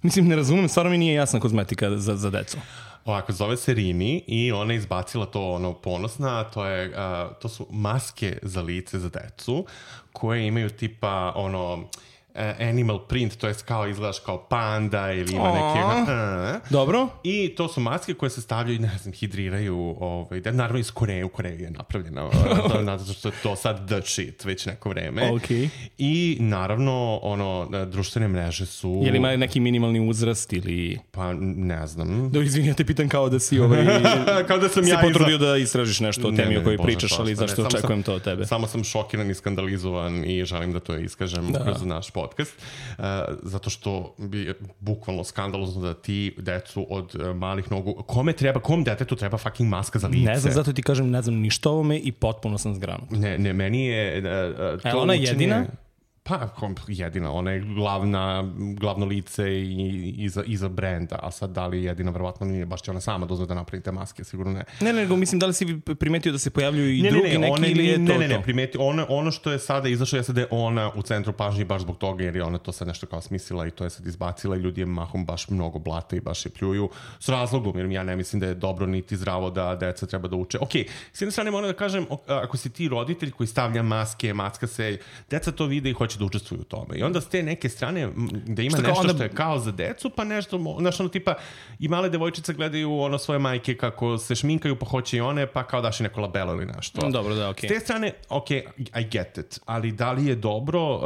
Mislim, ne razumem, stvarno mi nije jasna kozmetika za, za decu. Ovako, zove se Rini i ona je izbacila to ono ponosna, to, je, uh, to su maske za lice za decu koje imaju tipa ono... animal print, to je kao izgledaš kao panda ili ima neke... Uh, Dobro. I to su maske koje se stavljaju, ne znam, hidriraju, ovaj, naravno iz Koreje, u Koreji je napravljena, zato što je to sad the shit već neko vreme. Okay. I naravno, ono, društvene mreže su... Je li ima neki minimalni uzrast ili... Pa, ne znam. Da, izvini, ja te pitam kao da si ovaj... kao da sam se ja potrudio iza... da istražiš nešto o temi o kojoj pričaš, ali zašto ne, očekujem sam, to od tebe? Samo sam šokiran i skandalizovan i želim da to iskažem da. kroz naš podcast. podcast, uh, zato što bi bukvalno skandalozno da ti decu od uh, malih nogu, kome treba, kom detetu treba fucking maska za lice? Ne znam, zato ti kažem, ne znam ništa o ovome i potpuno sam zgranut. Ne, ne, meni je... Uh, to e, ona je jedina? Pa, jedina, ona je glavna, glavno lice i, iza, iza brenda, a sad da li je jedina, verovatno nije, baš će ona sama dozve da napravi te maske, sigurno ne. Ne, nego mislim, da li si primetio da se pojavljuju i ne, drugi ne, ne, neki one, ili je ne, to ne, ne, to? Ne, primeti, ono, ono što je sada izašlo je sad da je ona u centru pažnje baš zbog toga, jer je ona to sad nešto kao smislila i to je sad izbacila i ljudi je mahom baš mnogo blate i baš je pljuju s razlogom, jer ja ne mislim da je dobro niti zdravo da deca treba da uče. Ok, s jedne strane moram da kažem, ako si ti roditelj koji stavlja maske, macka se, deca to vide i hoće da učestvuju u tome. I onda s te neke strane da ima što nešto onda... što je kao za decu, pa nešto, znaš ono tipa i male devojčice gledaju ono svoje majke kako se šminkaju, pa hoće i one, pa kao daš i neko labelo ili nešto. Dobro, da, okej. S te strane, ok, I get it, ali da li je dobro uh,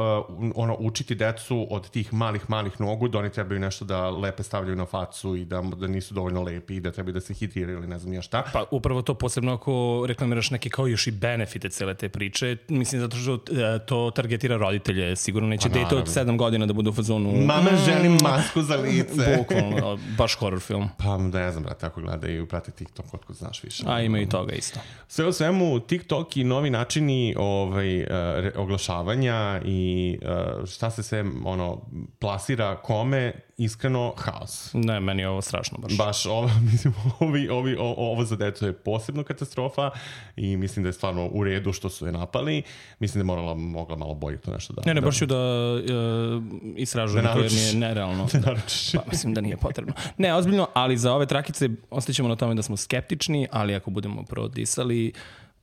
ono učiti decu od tih malih, malih nogu da oni trebaju nešto da lepe stavljaju na facu i da, da nisu dovoljno lepi i da trebaju da se hidriraju ili ne znam ja šta. Pa upravo to posebno ako reklamiraš neke kao još i benefite cele te priče, mislim zato što uh, to targetira roditelje, sigurno neće pa, dete od sedam godina da bude u fazonu... Mama, želim masku za lice. Bukvalno, baš horror film. Pa ne znam, brate, ako gledaju, prate TikTok, otko znaš više. A ima i toga isto. Sve u svemu, TikTok i novi načini ovaj, uh, oglašavanja i uh, šta se sve ono, plasira kome, iskreno, haos. Ne, meni je ovo strašno baš. Baš ovo, mislim, ovi, ovi, o, ovo za decu je posebno katastrofa i mislim da je stvarno u redu što su je napali. Mislim da je morala, mogla malo bolje to nešto da... Ne, ne, da, baš ću da uh, istražujem to jer mi je nerealno. Ne da, pa, mislim da nije potrebno. Ne, ozbiljno, ali za ove trakice ostaćemo na tome da smo skeptični, ali ako budemo prodisali,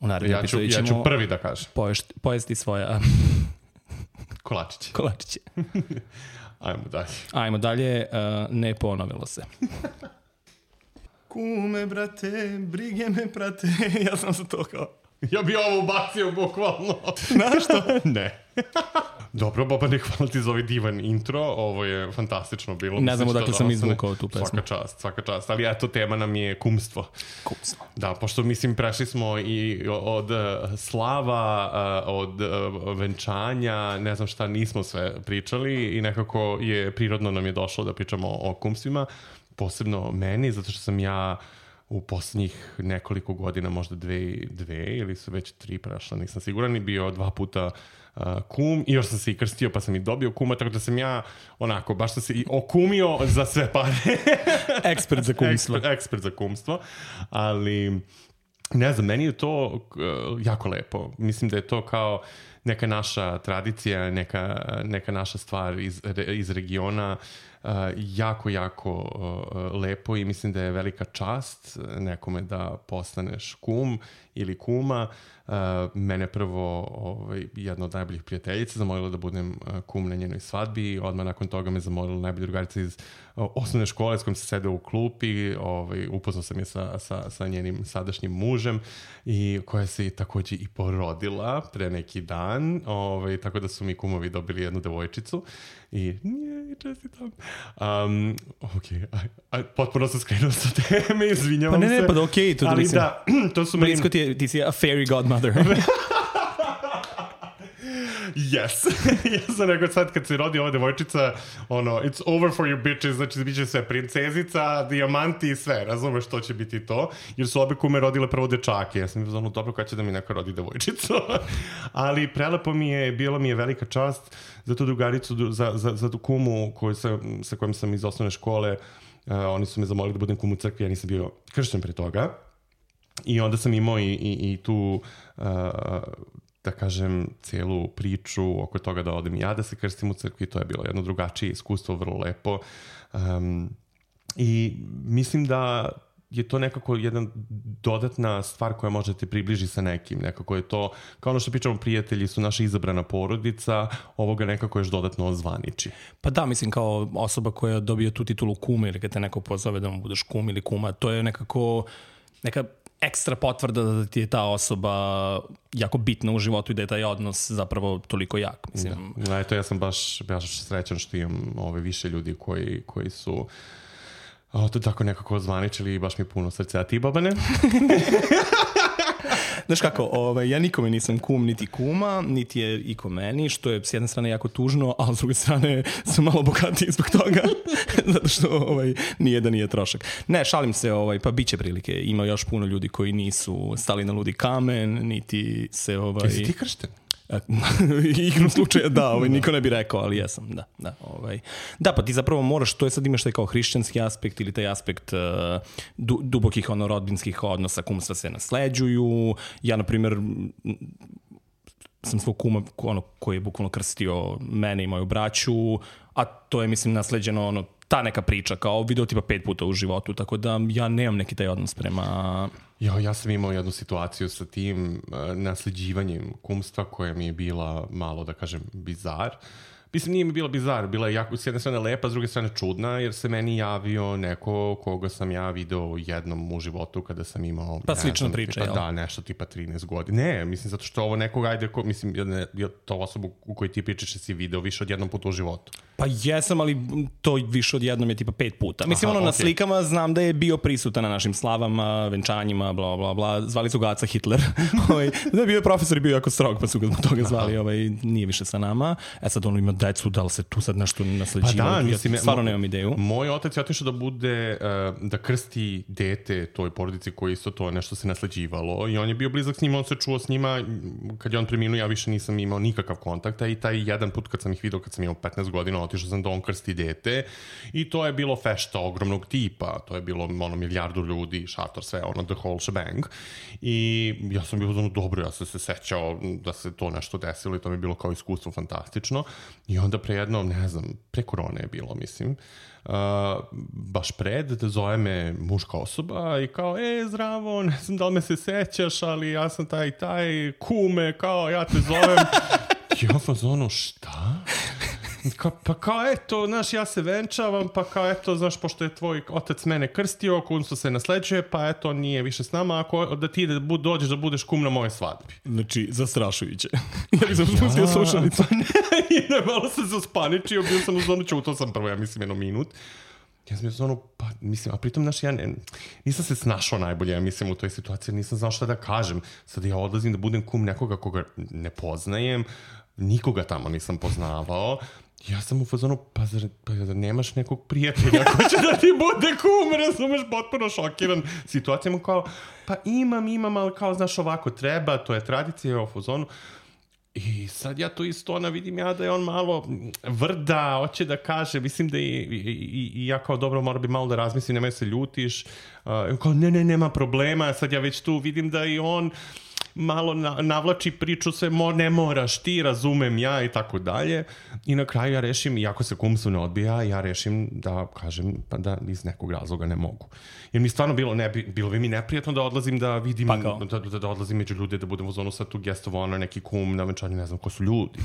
u narednom ja ću, epizodu ćemo... Ja ću prvi da kažem. Poješti, pojesti svoja... Kolačiće. Kolačiće. Ajmo dalje. Ajmo dalje, uh, ne ponovilo se. Kume, brate, brige me, prate. Ja sam se to kao... Ja bi ovo ubacio bukvalno. Znaš što? Ne. Dobro, Bobane, hvala ti za ovaj divan intro. Ovo je fantastično bilo. Ne znam odakle sam izvukao tu pesmu. Svaka čast, svaka čast. Ali eto, tema nam je kumstvo. Kumstvo. Da, pošto mislim prešli smo i od slava, od venčanja, ne znam šta, nismo sve pričali i nekako je prirodno nam je došlo da pričamo o kumstvima. Posebno meni, zato što sam ja u posljednjih nekoliko godina, možda dve, dve ili su već tri prešla, nisam siguran, i bio dva puta uh, kum i još sam se i krstio pa sam i dobio kuma, tako da sam ja onako, baš sam se i okumio za sve pare. Ekspert za kumstvo. Ekspert, ekspert za kumstvo, ali ne znam, meni je to uh, jako lepo. Mislim da je to kao neka naša tradicija, neka, neka naša stvar iz, iz regiona, uh, jako, jako uh, lepo i mislim da je velika čast nekome da postaneš kum ili kuma. Uh, mene prvo ovaj, jedna od najboljih prijateljica zamolila da budem uh, kum na njenoj svadbi, odmah nakon toga me zamolila najbolja drugarica iz uh, osnovne škole s kojom se sedeo u klupi, ovaj, upoznao sam je sa, sa, sa njenim sadašnjim mužem i koja se također i porodila pre neki dan, ovaj, tako da su mi kumovi dobili jednu devojčicu i nije, čestitam. Um, ok, aj, aj, potpuno sam skrenuo sa teme, izvinjavam se. Pa ne, ne, pa da okej, okay, to ali mislim. Da, to su Blisko ti je, ti si a fairy godmother. Yes. Ja sam rekao sad kad se rodi ova devojčica, ono, it's over for you bitches, znači bit će sve princezica, dijamanti i sve, razumeš što će biti to, jer su obe kume rodile prvo dečake, ja sam ono, dobro kad će da mi neko rodi devojčicu, ali prelepo mi je, bilo mi je velika čast za tu drugaricu, za, za, za tu kumu koju sam, sa kojom sam iz osnovne škole, uh, oni su me zamolili da budem kum u crkvi, ja nisam bio kršten pre toga, i onda sam imao i, i, i tu uh, da kažem, cijelu priču oko toga da odem ja da se krstim u crkvi, to je bilo jedno drugačije iskustvo, vrlo lepo. Um, I mislim da je to nekako jedna dodatna stvar koja može te približi sa nekim. Nekako je to, kao ono što pričamo, prijatelji su naša izabrana porodica, ovoga nekako još dodatno ozvaniči. Pa da, mislim, kao osoba koja dobije tu titulu kuma ili kad te neko pozove da mu budeš kum ili kuma, to je nekako neka ekstra potvrda da ti je ta osoba jako bitna u životu i da je taj odnos zapravo toliko jak. Mislim. Da, eto, ja sam baš, baš srećan što imam ove više ljudi koji, koji su o, to tako nekako zvaničili i baš mi puno srce. A ti, Bobane? Znaš kako, ovaj, ja nikome nisam kum niti kuma, niti je iko meni, što je s jedne strane jako tužno, a s druge strane sam malo bogatiji zbog toga, zato što ovaj, nije da nije trošak. Ne, šalim se, ovaj, pa bit će prilike. Ima još puno ljudi koji nisu stali na ludi kamen, niti se... Ovaj... Jesi ti kršten? Igrom slučaja da, ovaj, niko ne bi rekao, ali jesam, da. Da, ovaj. Da, pa ti zapravo moraš, to je sad imaš taj kao hrišćanski aspekt ili taj aspekt uh, du, dubokih ono, rodbinskih odnosa, kumstva se nasleđuju. Ja, na primjer, sam svog kuma ono, koji je bukvalno krstio mene i moju braću, a to je, mislim, nasleđeno ono, ta neka priča, kao video tipa pet puta u životu, tako da ja nemam neki taj odnos prema... Jo, ja sam imao jednu situaciju sa tim uh, nasljeđivanjem kumstva koja mi je bila malo, da kažem, bizar. Mislim, nije mi bila bizar, bila je jako, s jedne strane lepa, s druge strane čudna, jer se meni javio neko koga sam ja video jednom u životu kada sam imao... Pa slična priča, tipa, jel? Da, nešto tipa trinaest godina. Ne, mislim, zato što ovo nekog, ajde, ko, mislim, ne, to osobu u kojoj ti pričaš si video više od jednom puta u životu. Pa jesam, ali to više od jednom je tipa pet puta. Mislim, Aha, ono, na okay. slikama znam da je bio prisutan na našim slavama, venčanjima, bla, bla, bla. Zvali su ga Aca Hitler. Da je bio profesor i bio jako strog, pa su ga zbog toga zvali. Ovaj, nije više sa nama. E sad ono ima decu, da li se tu sad nešto nasleđivalo? Pa da, mislim, ja stvarno nemam ideju. Moj otac je otišao da bude, uh, da krsti dete toj porodici koji isto to nešto se nasleđivalo i on je bio blizak s njima, on se čuo s njima, kad je on preminuo ja više nisam imao nikakav kontakta i taj jedan put kad sam ih vidio, kad sam imao petnaest godina, otišao sam da on krsti dete i to je bilo fešta ogromnog tipa, to je bilo ono milijardu ljudi, šator, sve, ono the whole shebang i ja sam bio ono dobro, ja sam se sećao da se to nešto desilo i to mi je bilo kao iskustvo fantastično i onda pre jedno, ne znam, pre korone je bilo, mislim, Uh, baš pred, da zove me muška osoba i kao, e, zdravo, ne znam da li me se sećaš, ali ja sam taj, taj, kume, kao, ja te zovem. I on fa zonu, šta? Ka, pa kao, eto, znaš, ja se venčavam, pa kao, eto, znaš, pošto je tvoj otac mene krstio, kumstvo se nasleđuje, pa eto, on nije više s nama, ako da ti da bud, dođeš da budeš kum na moje svadbi. Znači, zastrašujuće. Ja nisam spustio slušalicu. I ne, malo sam se uspaničio, bio sam u zonu, čutao sam prvo, ja mislim, jedno minut. Ja sam bio zonu, pa, mislim, a pritom, znaš, ja ne, nisam se snašao najbolje, ja mislim, u toj situaciji, nisam znao šta da kažem. Sad ja odlazim da budem kum nekoga koga ne poznajem, nikoga tamo nisam poznavao. Ja sam u fazonu, pa zar, pa zar nemaš nekog prijatelja ko će da ti bude kum, razumeš, potpuno šokiran situacijama, kao, pa imam, imam, ali kao, znaš, ovako treba, to je tradicija u fazonu. I sad ja to isto, ona vidim ja da je on malo vrda, hoće da kaže, mislim da i, i, i ja kao dobro moram bi malo da razmislim, nemoj se ljutiš, uh, kao ne, ne, nema problema, sad ja već tu vidim da i on malo na, navlači priču sve, mo, ne moraš ti, razumem ja i tako dalje. I na kraju ja rešim, iako se kumstvo ne odbija, ja rešim da kažem pa da iz nekog razloga ne mogu. Jer mi stvarno bilo, ne, bilo bi mi neprijatno da odlazim da vidim, pa da, da, da odlazim među ljude, da budem u zonu sad tu guest of honor, neki kum na venčanju, ne znam ko su ljudi.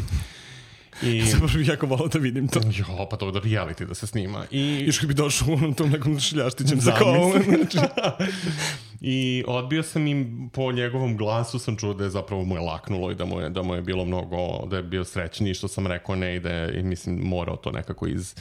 I... Zapravo bih jako volao da vidim to. Jo, pa to da reality da se snima. I... Još kad bi došao u tom nekom šiljaštićem sa kovom. I odbio sam im, po njegovom glasu sam čuo da je zapravo mu je laknulo i da mu je, da mu je bilo mnogo, da je bio srećniji što sam rekao ne i da je, mislim, morao to nekako iz,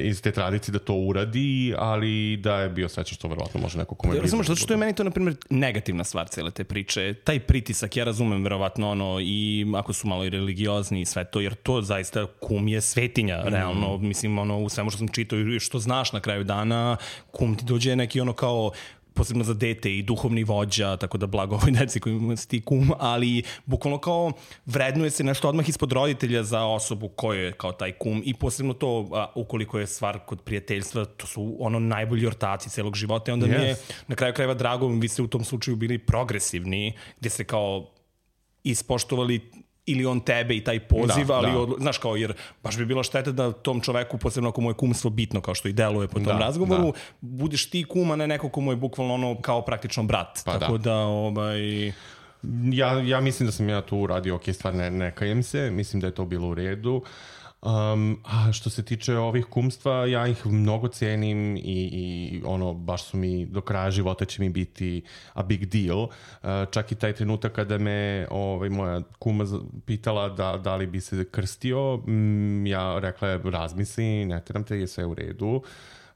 iz te tradicije da to uradi, ali da je bio srećan što verovatno može neko kome... Ja razumeš, zato što je meni to, na primjer, negativna stvar cele te priče. Taj pritisak, ja razumem verovatno ono, i ako su malo i religiozni i sve to, jer to zaista kum je svetinja, mm. realno, mislim, ono, u svemu što sam čitao i što znaš na kraju dana, kum ti dođe neki ono kao posebno za dete i duhovni vođa, tako da blago ovoj deci koji si ti kum, ali bukvalno kao vrednuje se nešto odmah ispod roditelja za osobu koja je kao taj kum i posebno to, a, ukoliko je stvar kod prijateljstva, to su ono najbolji ortaci celog života i onda yes. mi je na kraju krajeva drago, vi ste u tom slučaju bili progresivni, gdje ste kao ispoštovali ili on tebe i taj poziv, da, ali da. Odlo... znaš kao, jer baš bi bila šteta da tom čoveku, posebno ako mu je kumstvo bitno, kao što i deluje po tom da, razgovoru, da. budeš ti kuma, ne neko ko mu je bukvalno ono kao praktično brat. Pa tako da, da ovaj... Ja, ja mislim da sam ja tu uradio ok stvar, ne, ne kajem se, mislim da je to bilo u redu. Um, a što se tiče ovih kumstva, ja ih mnogo cenim i, i ono, baš su mi, do kraja života će mi biti a big deal. Uh, čak i taj trenutak kada me ovaj, moja kuma pitala da, da li bi se krstio, mm, ja rekla je razmisli, ne teram te, je sve u redu.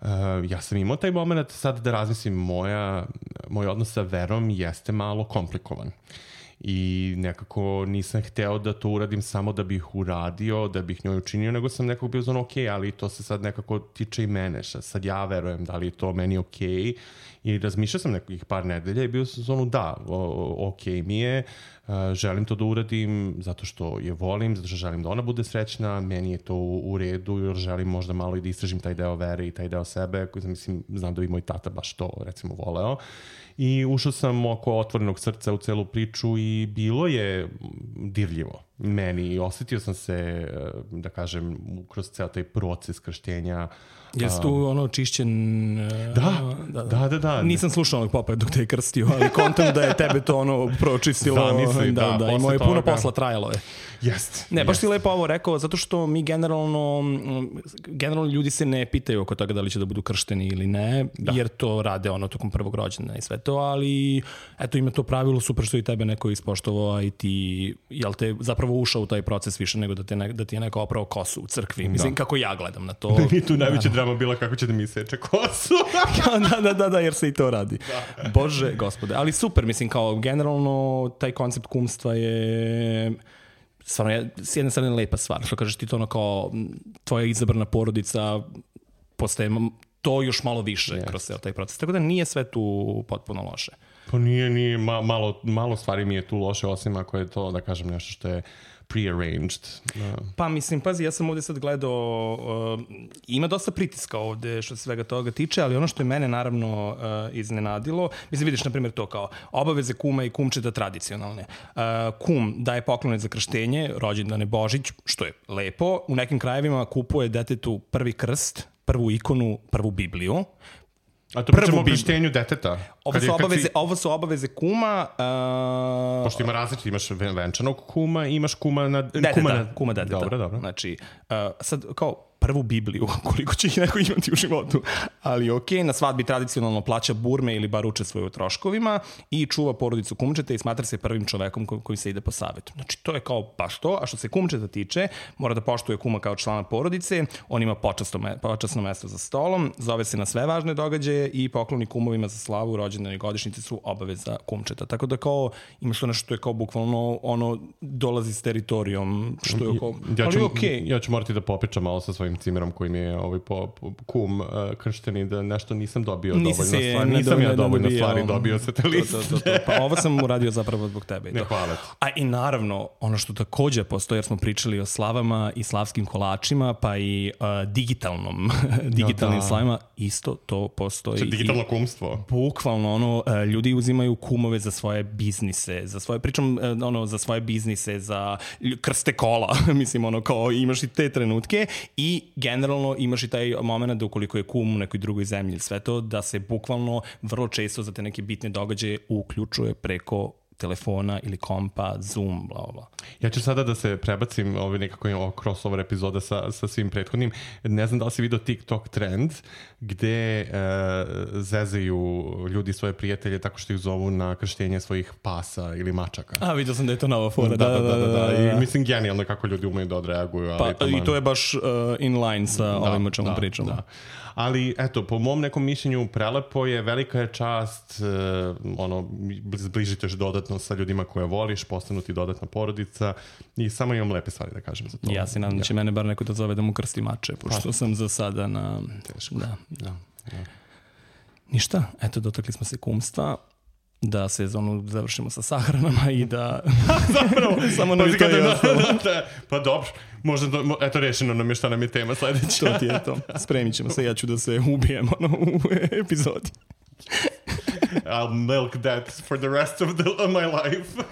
Uh, Uh, ja sam imao taj moment, sad da razmislim, moja, moj odnos sa verom jeste malo komplikovan. I nekako nisam hteo da to uradim samo da bih uradio, da bih njoj učinio, nego sam nekako bio zon ok, ali to se sad nekako tiče i mene, šta sad ja verujem da li je to meni ok. I razmišljao sam nekih par nedelja i bio sam zonu da, o, ok mi je, uh, želim to da uradim zato što je volim, zato što želim da ona bude srećna, meni je to u, u redu, jer želim možda malo i da istražim taj deo vere i taj deo sebe, koji mislim, znam da bi moj tata baš to recimo voleo. I ušao sam oko otvorenog srca u celu priču i bilo je dirljivo meni i osjetio sam se, da kažem, kroz ceo taj proces krštenja. Jesi tu ono čišćen... Da, da, da. da, da. Nisam slušao onog popa dok te je krstio, ali kontam da je tebe to ono pročistilo. Zamisli, da, da, da. I moje puno posla trajalo je. Jest. Ne, baš jest. ti lepo ovo rekao, zato što mi generalno, generalno ljudi se ne pitaju oko toga da li će da budu kršteni ili ne, da. Jer to rade ono tokom prvog rođendana i sve to, ali eto ima to pravilo, super što i tebe neko ispoštovao i ti, jel te zapravo ušao u taj proces više nego da, te ne, da ti je neko oprao kosu u crkvi. Mislim, da. Kako ja gledam na to. Mi tu najveća drama bila kako će da mi seče kosu. da, da, da, da, jer se i to radi. Da. Bože, gospode. Ali super, mislim, kao generalno taj koncept kumstva je... Stvarno je s jedne strane lepa stvar, što kažeš ti to ono kao tvoja izabrana porodica postaje to još malo više yes. kroz taj proces. Tako da nije sve tu potpuno loše. Pa nije, nije, ma, malo, malo stvari mi je tu loše, osim ako je to, da kažem, nešto što je prearranged. Uh. Pa mislim, pazi, ja sam ovdje sad gledao, uh, ima dosta pritiska ovdje što se svega toga tiče, ali ono što je mene naravno uh, iznenadilo, mislim vidiš na primjer to kao obaveze kuma i kumčeta tradicionalne. Uh, kum daje poklone za krštenje, rođendane Božić, što je lepo, u nekim krajevima kupuje detetu prvi krst, prvu ikonu, prvu Bibliju. A to pričamo o krštenju deteta. Ovo su, obaveze, si... ovo su obaveze kuma. Uh... Pošto ima različite, imaš venčanog kuma i imaš kuma na... Deteta, kuma, na... kuma deteta. Dobro, dobro. Znači, uh, sad kao prvu Bibliju, koliko će ih neko imati u životu. Ali ok, na svadbi tradicionalno plaća burme ili bar učestvuje u troškovima i čuva porodicu kumčeta i smatra se prvim čovekom ko- koji se ide po savetu. Znači, to je kao baš to. A što se kumčeta tiče, mora da poštuje kuma kao člana porodice, on ima počasno, me- počasno mesto za stolom, zove se na sve važne događaje i pokloni kumovima za slavu, rođendane i godišnjice su obaveza kumčeta. Tako da kao imaš to nešto što je kao bukvalno ono dolazi s teritorijom, što je kao... Ja ću, ali okay. ja ću morati da popričam malo sa svojim cimerom koji mi je ovaj po, po, kum uh, kršteni, da nešto nisam dobio Nisi dovoljno se, stvari. Nisam ja dovoljno stvari dobio sa te liste. To, to, to, to. Pa ovo sam uradio zapravo zbog tebe. Ne, hvala ti. A i naravno, ono što takođe postoji, jer smo pričali o slavama i slavskim kolačima, pa i uh, digitalnom, digitalnim no, da. slavima, isto to postoji. Če digitalno kumstvo. Bukvalno, ono, uh, ljudi uzimaju kumove za svoje biznise, za svoje, pričam, uh, ono, za svoje biznise, za krste kola, mislim, ono, kao imaš i te trenutke i generalno imaš i taj moment da ukoliko je kum u nekoj drugoj zemlji, sve to, da se bukvalno vrlo često za te neke bitne događaje uključuje preko telefona ili kompa, Zoom, bla, bla. Ja ću sada da se prebacim ovaj nekako ovo crossover epizoda sa, sa svim prethodnim. Ne znam da li si vidio TikTok trend gde e, zezaju ljudi svoje prijatelje tako što ih zovu na krštenje svojih pasa ili mačaka. A, vidio sam da je to nova fora. Da, da, da, da, da. I mislim genijalno kako ljudi umeju da odreaguju. Ali pa, i to je baš uh, in line sa da, ovim o čemu da, pričamo. Da. Ali, eto, po mom nekom mišljenju prelepo je, velika je čast, uh, ono, zbližiteš dodatno sa ljudima koje voliš, postanu ti dodatna porodica i samo imam lepe stvari da kažem za to. Ja se nadam da će mene bar neko da zove da mu krsti mače, pošto pa. sam za sada na... Teško. Da. Da, da. Ništa, eto, dotakli smo se kumstva. Da sezonu završimo sa sahranama i da... Zapravo, samo nam je to je ostalo. Pa dobro, možda, do, eto, rešeno nam je šta nam je tema sledeća. To ti je to. Spremit ćemo se, ja ću da se ubijem ono, u epizodi. I'll milk that for the rest of, the, of my life.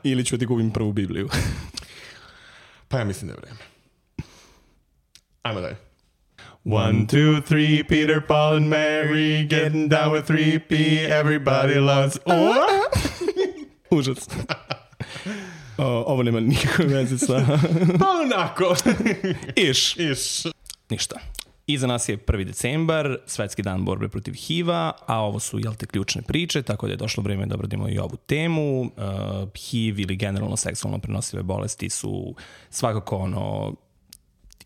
Ili ću ti gubim prvu Bibliju. Pa ja mislim da je vreme. Ajmo dalje. One, two, three, Peter, Paul and Mary getting down with three P, everybody loves... Oh! Užas. O, ovo nema nikakve veze sa... Pa onako. Iš. Iš. Ništa. Iza nas je prvi decembar, svetski dan borbe protiv H I V-a, a ovo su, jel te, ključne priče, tako da je došlo vreme da obradimo i ovu temu. Uh, H I V ili generalno seksualno prenosive bolesti su svakako ono...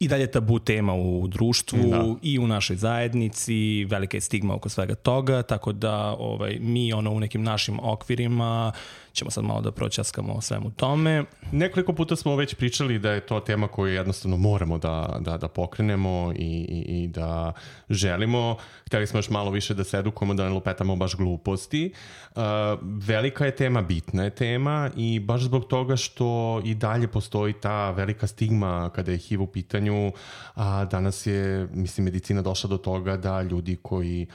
i dalje tabu tema u društvu Da. i u našoj zajednici, velika je stigma oko svega toga, tako da ovaj, mi ono u nekim našim okvirima ćemo sad malo da proćaskamo o svemu tome. Nekoliko puta smo već pričali da je to tema koju jednostavno moramo da, da, da pokrenemo i, i, i da želimo. Hteli smo još malo više da se edukujemo, da ne lupetamo baš gluposti. Uh, velika je tema, bitna je tema i baš zbog toga što i dalje postoji ta velika stigma kada je H I V u pitanju, a danas je, mislim, medicina došla do toga da ljudi koji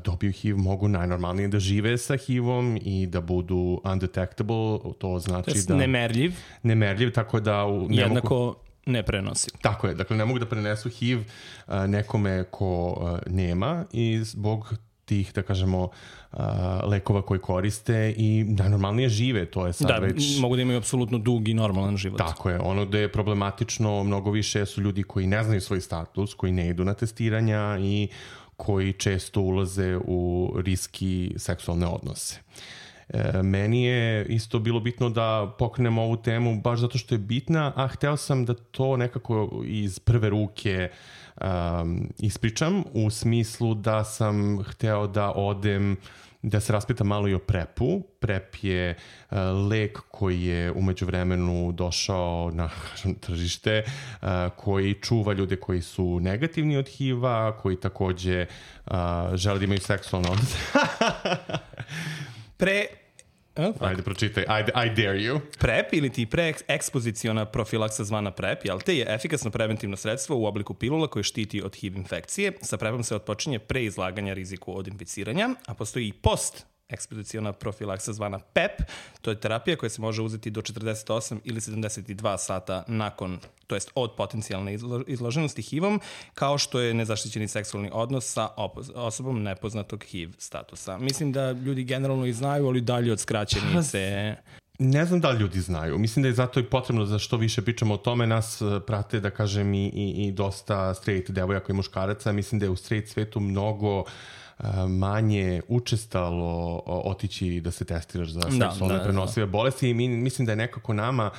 dobiju H I V mogu najnormalnije da žive sa H I V-om i da budu undetectable, to znači to je da... nemerljiv. Nemerljiv, tako da... U, ne jednako mogu... ne prenosi. Tako je, dakle ne mogu da prenesu H I V a, nekome ko a, nema i zbog tih, da kažemo, a, lekova koji koriste i najnormalnije žive, to je sad da, već... Da, mogu da imaju apsolutno dug i normalan život. Tako je, ono gde je problematično mnogo više su ljudi koji ne znaju svoj status, koji ne idu na testiranja i koji često ulaze u riski seksualne odnose. E, meni je isto bilo bitno da pokrenemo ovu temu baš zato što je bitna, a hteo sam da to nekako iz prve ruke um, ispričam, u smislu da sam hteo da odem da se raspitam malo i o prepu. Prep je uh, lek koji je umeđu vremenu došao na tržište, uh, koji čuva ljude koji su negativni od H I V-a, koji takođe uh, žele da imaju seksualno odnose. Pre... Ajde, pročitaj. I, I dare you. PrEP ili ti preekspoziciona profilaksa zvana PrEP, jel te, je efikasno preventivno sredstvo u obliku pilula koje štiti od H I V infekcije. Sa PrEPom se otpočinje pre izlaganja riziku od inficiranja, a postoji i post ekspoziciona profilaksa zvana PEP. To je terapija koja se može uzeti do četrdeset osam ili sedamdeset dva sata nakon, to jest od potencijalne izloženosti H I V-om, kao što je nezaštićeni seksualni odnos sa osobom nepoznatog H I V statusa. Mislim da ljudi generalno i znaju, ali dalje od skraćenice... Ne znam da li ljudi znaju. Mislim da je zato i potrebno za što više pričamo o tome. Nas prate, da kažem, i, i, i dosta straight devojaka i muškaraca. Mislim da je u straight svetu mnogo manje učestalo otići da se testiraš za seksualne da, da, prenosive da. bolesti i mi, mislim da je nekako nama,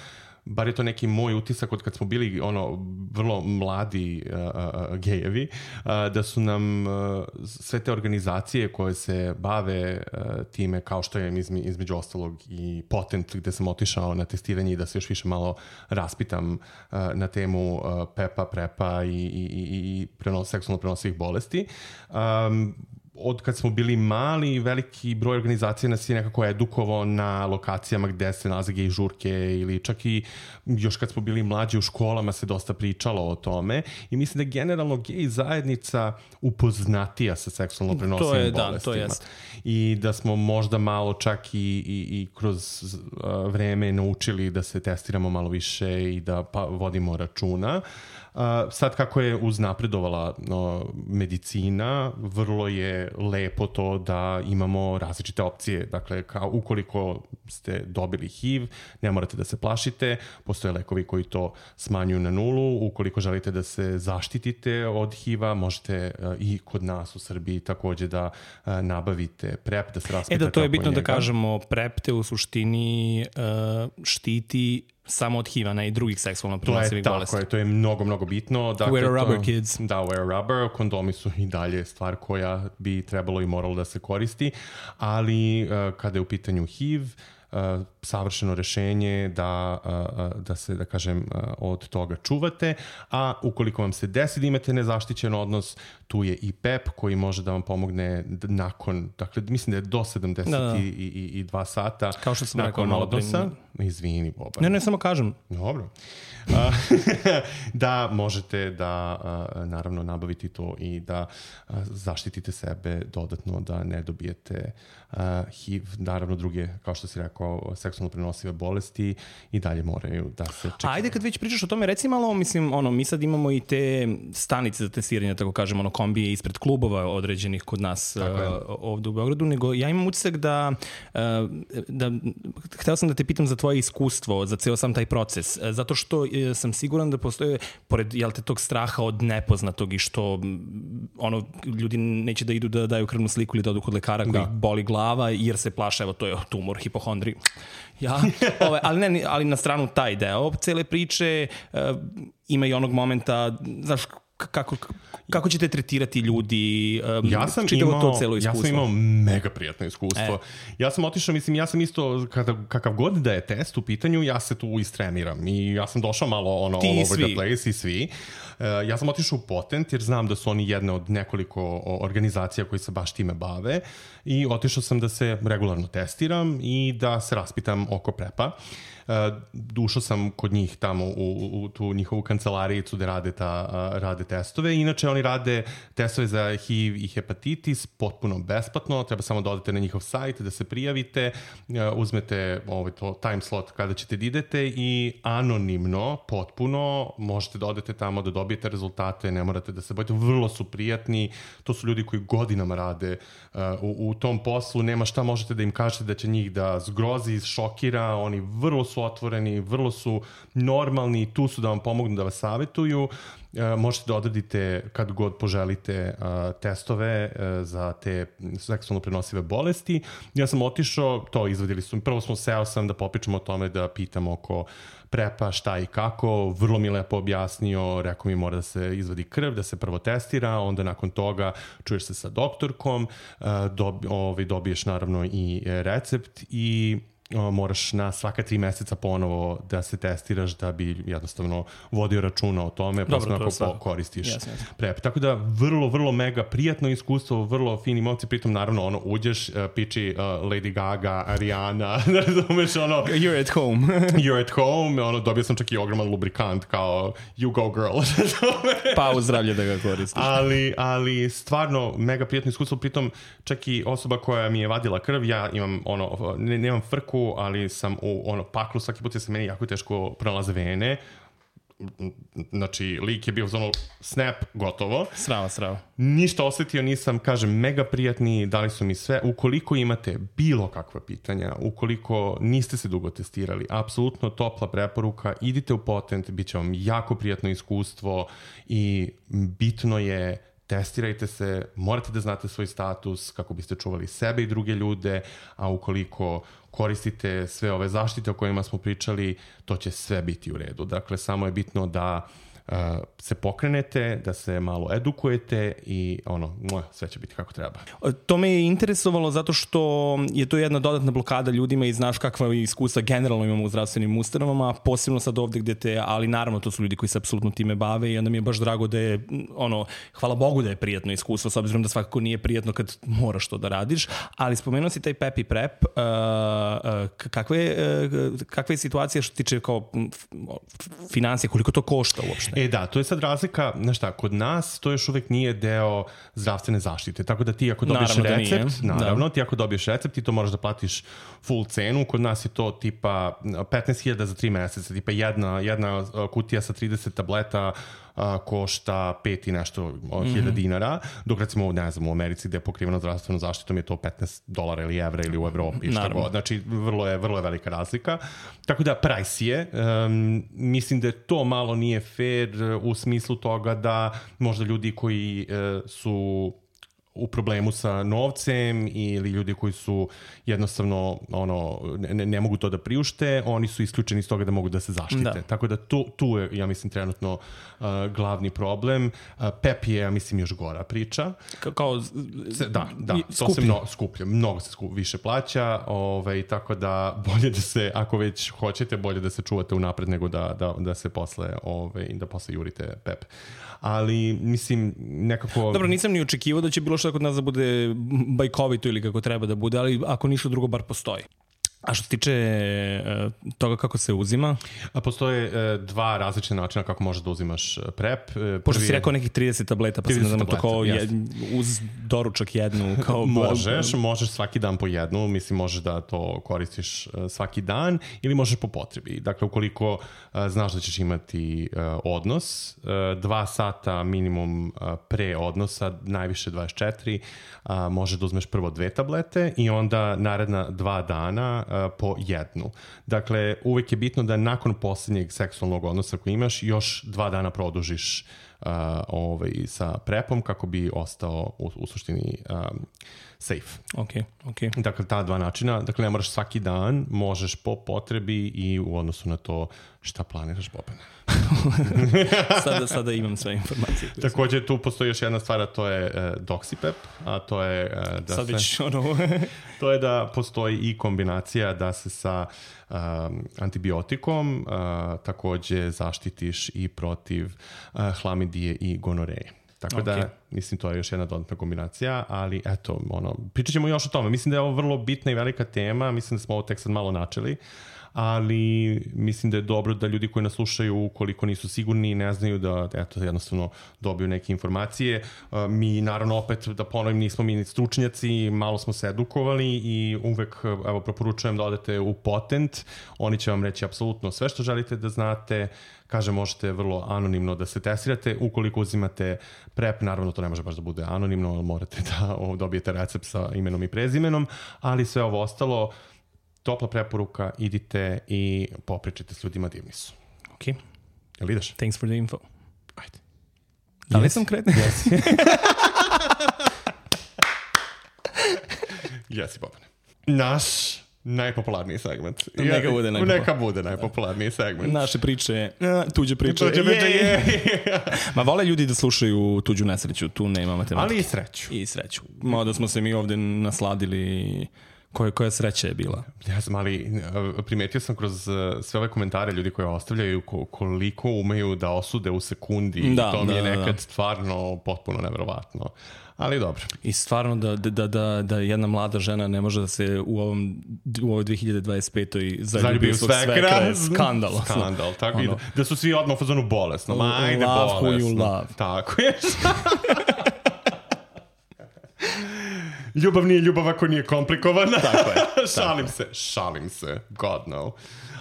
bar je to neki moj utisak od kad smo bili ono vrlo mladi uh, uh, gejevi, uh, da su nam uh, sve te organizacije koje se bave uh, time, kao što je izme, između ostalog i Potent, gde sam otišao na testiranje i da se još više malo raspitam uh, na temu uh, PEPA, PrEPA i, i, i, i prenos, seksualno prenosivih bolesti. Um, od kad smo bili mali, veliki broj organizacija nas je nekako edukovao na lokacijama gde se nalaze gej žurke ili čak i još kad smo bili mlađi u školama se dosta pričalo o tome i mislim da je generalno gej zajednica upoznatija sa seksualno prenosivim to je, bolestima. Da, to jest. I da smo možda malo čak i, i, i kroz uh, vreme naučili da se testiramo malo više i da pa, vodimo računa. Uh, sad kako je uznapredovala no, medicina, vrlo je lepo to da imamo različite opcije. Dakle, kao ukoliko ste dobili H I V, ne morate da se plašite, postoje lekovi koji to smanjuju na nulu. Ukoliko želite da se zaštitite od H I V-a, možete uh, i kod nas u Srbiji takođe da uh, nabavite PrEP, da se raspitate. E da, to je bitno njega. Da kažemo, PrEP te u suštini uh, štiti samo od H I V-a, ne i drugih seksualno prenosivih bolesti. To je, tako je, to je mnogo, mnogo bitno. Dakle, wear a rubber, to, kids. Da, wear a rubber. Kondomi su i dalje stvar koja bi trebalo i moralo da se koristi, ali uh, kada je u pitanju H I V, Uh, savršeno rešenje da, uh, da se, da kažem, uh, od toga čuvate, a ukoliko vam se desi da imate nezaštićen odnos, tu je i PEP koji može da vam pomogne nakon, dakle, mislim da je do sedamdeset dva sata kao što sam nakon rekao, odnosa. Izvini, Boban. Ne, ne, samo kažem. Dobro. Uh, da možete da uh, naravno nabaviti to i da uh, zaštitite sebe dodatno da ne dobijete uh, H I V, naravno druge, kao što si rekao, seksualno prenosive bolesti i dalje moraju da se čekaju. Ajde, kad već pričaš o tome, reci malo, mislim, ono, mi sad imamo i te stanice za testiranje, tako kažem, ono, kombije ispred klubova određenih kod nas uh, ovde u Beogradu, nego ja imam utisak da, uh, da hteo sam da te pitam za tvoje iskustvo, za ceo sam taj proces, uh, zato što uh, sam siguran da postoje, pored, jel te, tog straha od nepoznatog i što, ono, ljudi neće da idu da daju krvnu sliku ili da odu kod lekara koji ih boli glava, jer se plaše, evo, to je tumor, hipohondri. Ja, ove, ali, ne, ali na stranu taj deo cele priče, uh, ima i onog momenta, znaš, kako, kako ćete tretirati ljudi, um, ja sam čitavo imao, to celo iskustvo? Ja sam imao mega prijatno iskustvo. E. Ja sam otišao, mislim, ja sam isto, kada, kakav god da je test u pitanju, ja se tu istreniram i ja sam došao malo ono, Ti all over svi. the place i svi. Uh, ja sam otišao u Potent jer znam da su oni jedna od nekoliko organizacija koji se baš time bave i otišao sam da se regularno testiram i da se raspitam oko prepa. Uh, dušao sam kod njih tamo u, u tu njihovu kancelarijicu gde rade, ta, uh, rade testove. Inače, oni rade testove za H I V i hepatitis potpuno besplatno. Treba samo da odete na njihov sajt, da se prijavite, uh, uzmete ovaj, to time slot kada ćete da idete i anonimno, potpuno, možete da odete tamo da dobijete rezultate, ne morate da se bojite. Vrlo su prijatni. To su ljudi koji godinama rade uh, u, u tom poslu. Nema šta možete da im kažete da će njih da zgrozi, šokira. Oni vrlo su otvoreni, vrlo su normalni, tu su da vam pomognu, da vas savjetuju. E, možete da odradite kad god poželite a, testove a, za te seksualno prenosive bolesti. Ja sam otišao, to izvadili su, prvo smo seo sam da popričamo o tome, da pitamo oko prepa šta i kako, vrlo mi lepo objasnio, rekao mi mora da se izvadi krv, da se prvo testira, onda nakon toga čuješ se sa doktorkom, a, dobi, ovaj, dobiješ naravno i recept i O, moraš na svaka tri meseca ponovo da se testiraš da bi jednostavno vodio računa o tome, posebno ako po, koristiš yes, yes. prep. Tako da vrlo, vrlo mega prijatno iskustvo, vrlo fini momci, pritom naravno ono uđeš, uh, piči uh, Lady Gaga, Ariana, da razumeš ono... You're at home. You're at home, ono, dobio sam čak i ogroman lubrikant kao you go girl. Pa u zdravlje da ga koristiš. ali, ali stvarno mega prijatno iskustvo, pritom čak i osoba koja mi je vadila krv, ja imam ono, ne, nemam frku, ali sam u ono paklu, svaki put je se meni jako teško pronalaze vene. Znači, lik je bio za ono snap, gotovo. Srava, srava. Ništa osetio nisam, kažem, mega prijatni, dali su mi sve. Ukoliko imate bilo kakva pitanja, ukoliko niste se dugo testirali, apsolutno topla preporuka, idite u Potent, bit će vam jako prijatno iskustvo i bitno je testirajte se, morate da znate svoj status kako biste čuvali sebe i druge ljude, a ukoliko koristite sve ove zaštite o kojima smo pričali, to će sve biti u redu. Dakle, samo je bitno da uh, se pokrenete, da se malo edukujete i ono, sve će biti kako treba. To me je interesovalo zato što je to jedna dodatna blokada ljudima i znaš kakva iskustva generalno imamo u zdravstvenim ustanovama, posebno sad ovde gde te, ali naravno to su ljudi koji se apsolutno time bave i onda mi je baš drago da je, ono, hvala Bogu da je prijatno iskustvo, s obzirom da svakako nije prijatno kad moraš to da radiš, ali spomenuo si taj pep i prep, uh, uh, kakve, uh, kakva je situacija što tiče kao financije, koliko to košta uopšte? E da, to je sad razlika, znaš šta, kod nas to još uvek nije deo zdravstvene zaštite, tako da ti ako dobiješ naravno recept, da naravno, da. ti ako dobiješ recept, ti to moraš da platiš full cenu, kod nas je to tipa petnaest hiljada za tri meseca, tipa jedna, jedna kutija sa trideset tableta a, košta pet i nešto hiljada mm-hmm. dinara, dok recimo, ne znam, u Americi gde je pokriveno zdravstvenom zaštitom je to petnaest dolara ili evra ili u Evropi, šta god. Znači, vrlo je, vrlo je velika razlika. Tako da, price je. Um, mislim da to malo nije fair u smislu toga da možda ljudi koji uh, su u problemu sa novcem ili ljudi koji su jednostavno ono, ne, ne mogu to da priušte, oni su isključeni iz toga da mogu da se zaštite. Da. Tako da tu, tu je, ja mislim, trenutno uh, glavni problem. Uh, pep je, ja mislim, još gora priča. Ka- kao se, da, da, to se mnogo skuplje, mnogo se skup, više plaća, ovaj, tako da bolje da se, ako već hoćete, bolje da se čuvate unapred nego da, da, da se posle, ovaj, da posle jurite pep. Ali, mislim, nekako... Dobro, nisam ni očekivao da će bilo što kod nas da bude bajkovito ili kako treba da bude, ali ako ništa drugo bar postoji. A što se tiče uh, toga kako se uzima? A postoje uh, dva različite načina kako možeš da uzimaš prep. Prvi Pošto si rekao nekih trideset tableta, pa sam ne znam to kao jed, uz doručak jednu. Kao možeš, možeš svaki dan po jednu, mislim možeš da to koristiš uh, svaki dan ili možeš po potrebi. Dakle, ukoliko uh, znaš da ćeš imati uh, odnos, uh, dva sata minimum uh, pre odnosa, najviše dvadeset četiri, uh, možeš da uzmeš prvo dve tablete i onda naredna dva dana po jednu. Dakle, uvek je bitno da nakon posljednjeg seksualnog odnosa koji imaš, još dva dana produžiš ovaj, sa prepom kako bi ostao u, u suštini um, safe. Ok, ok. Dakle, ta dva načina, dakle ne moraš svaki dan, možeš po potrebi i u odnosu na to šta planiraš, Bobane. sada, sada imam sve informacije. Također tu postoji još jedna stvar, a to je uh, Doxipep, a to je uh, da Sad se, već ono... to je da postoji i kombinacija da se sa um, antibiotikom uh, također zaštitiš i protiv uh, hlamidije i gonoreje. Tako okay. da, mislim, to je još jedna dodatna kombinacija, ali eto, ono, pričat ćemo još o tome. Mislim da je ovo vrlo bitna i velika tema, mislim da smo ovo tek sad malo načeli, ali mislim da je dobro da ljudi koji nas slušaju, ukoliko nisu sigurni i ne znaju, da eto, jednostavno dobiju neke informacije. Mi, naravno, opet, da ponovim, nismo mi stručnjaci, malo smo se edukovali i uvek, evo, proporučujem da odete u Potent. Oni će vam reći apsolutno sve što želite da znate. Kaže, možete vrlo anonimno da se testirate. Ukoliko uzimate prep, naravno to ne može baš da bude anonimno, morate da dobijete recept sa imenom i prezimenom, ali sve ovo ostalo, topla preporuka, idite i popričajte s ljudima, divni su. Ok. Jel ideš? Thanks for the info. Ajde. Da li yes. sam kretan? Jesi. Jesi, Bobane. Naš najpopularniji segment. Neka bude najpopularniji. Neka bude najpopularniji segment. Naše priče, tuđe priče. Tuđe priče, je, je. Ma vole ljudi da slušaju tuđu nesreću, tu nema matematike. Ali i sreću. I sreću. Mada smo se mi ovde nasladili... Koja, koja sreća je bila? Ja sam, ali primetio sam kroz sve ove komentare ljudi koji ostavljaju koliko umeju da osude u sekundi. Da, to mi je da, nekad da. stvarno potpuno neverovatno. Ali dobro. I stvarno da, da, da, da jedna mlada žena ne može da se u ovom u ovoj dve hiljade dvadeset petoj zaljubi u svog svekra je skandal. Skandal, tako ono, i da, da su svi odmah u fazonu bolesno. Ma, ajde love bolesno. Who you love. Tako je. Ljubav nije ljubav ako nije komplikovana. Tako je. šalim se, šalim se. God no.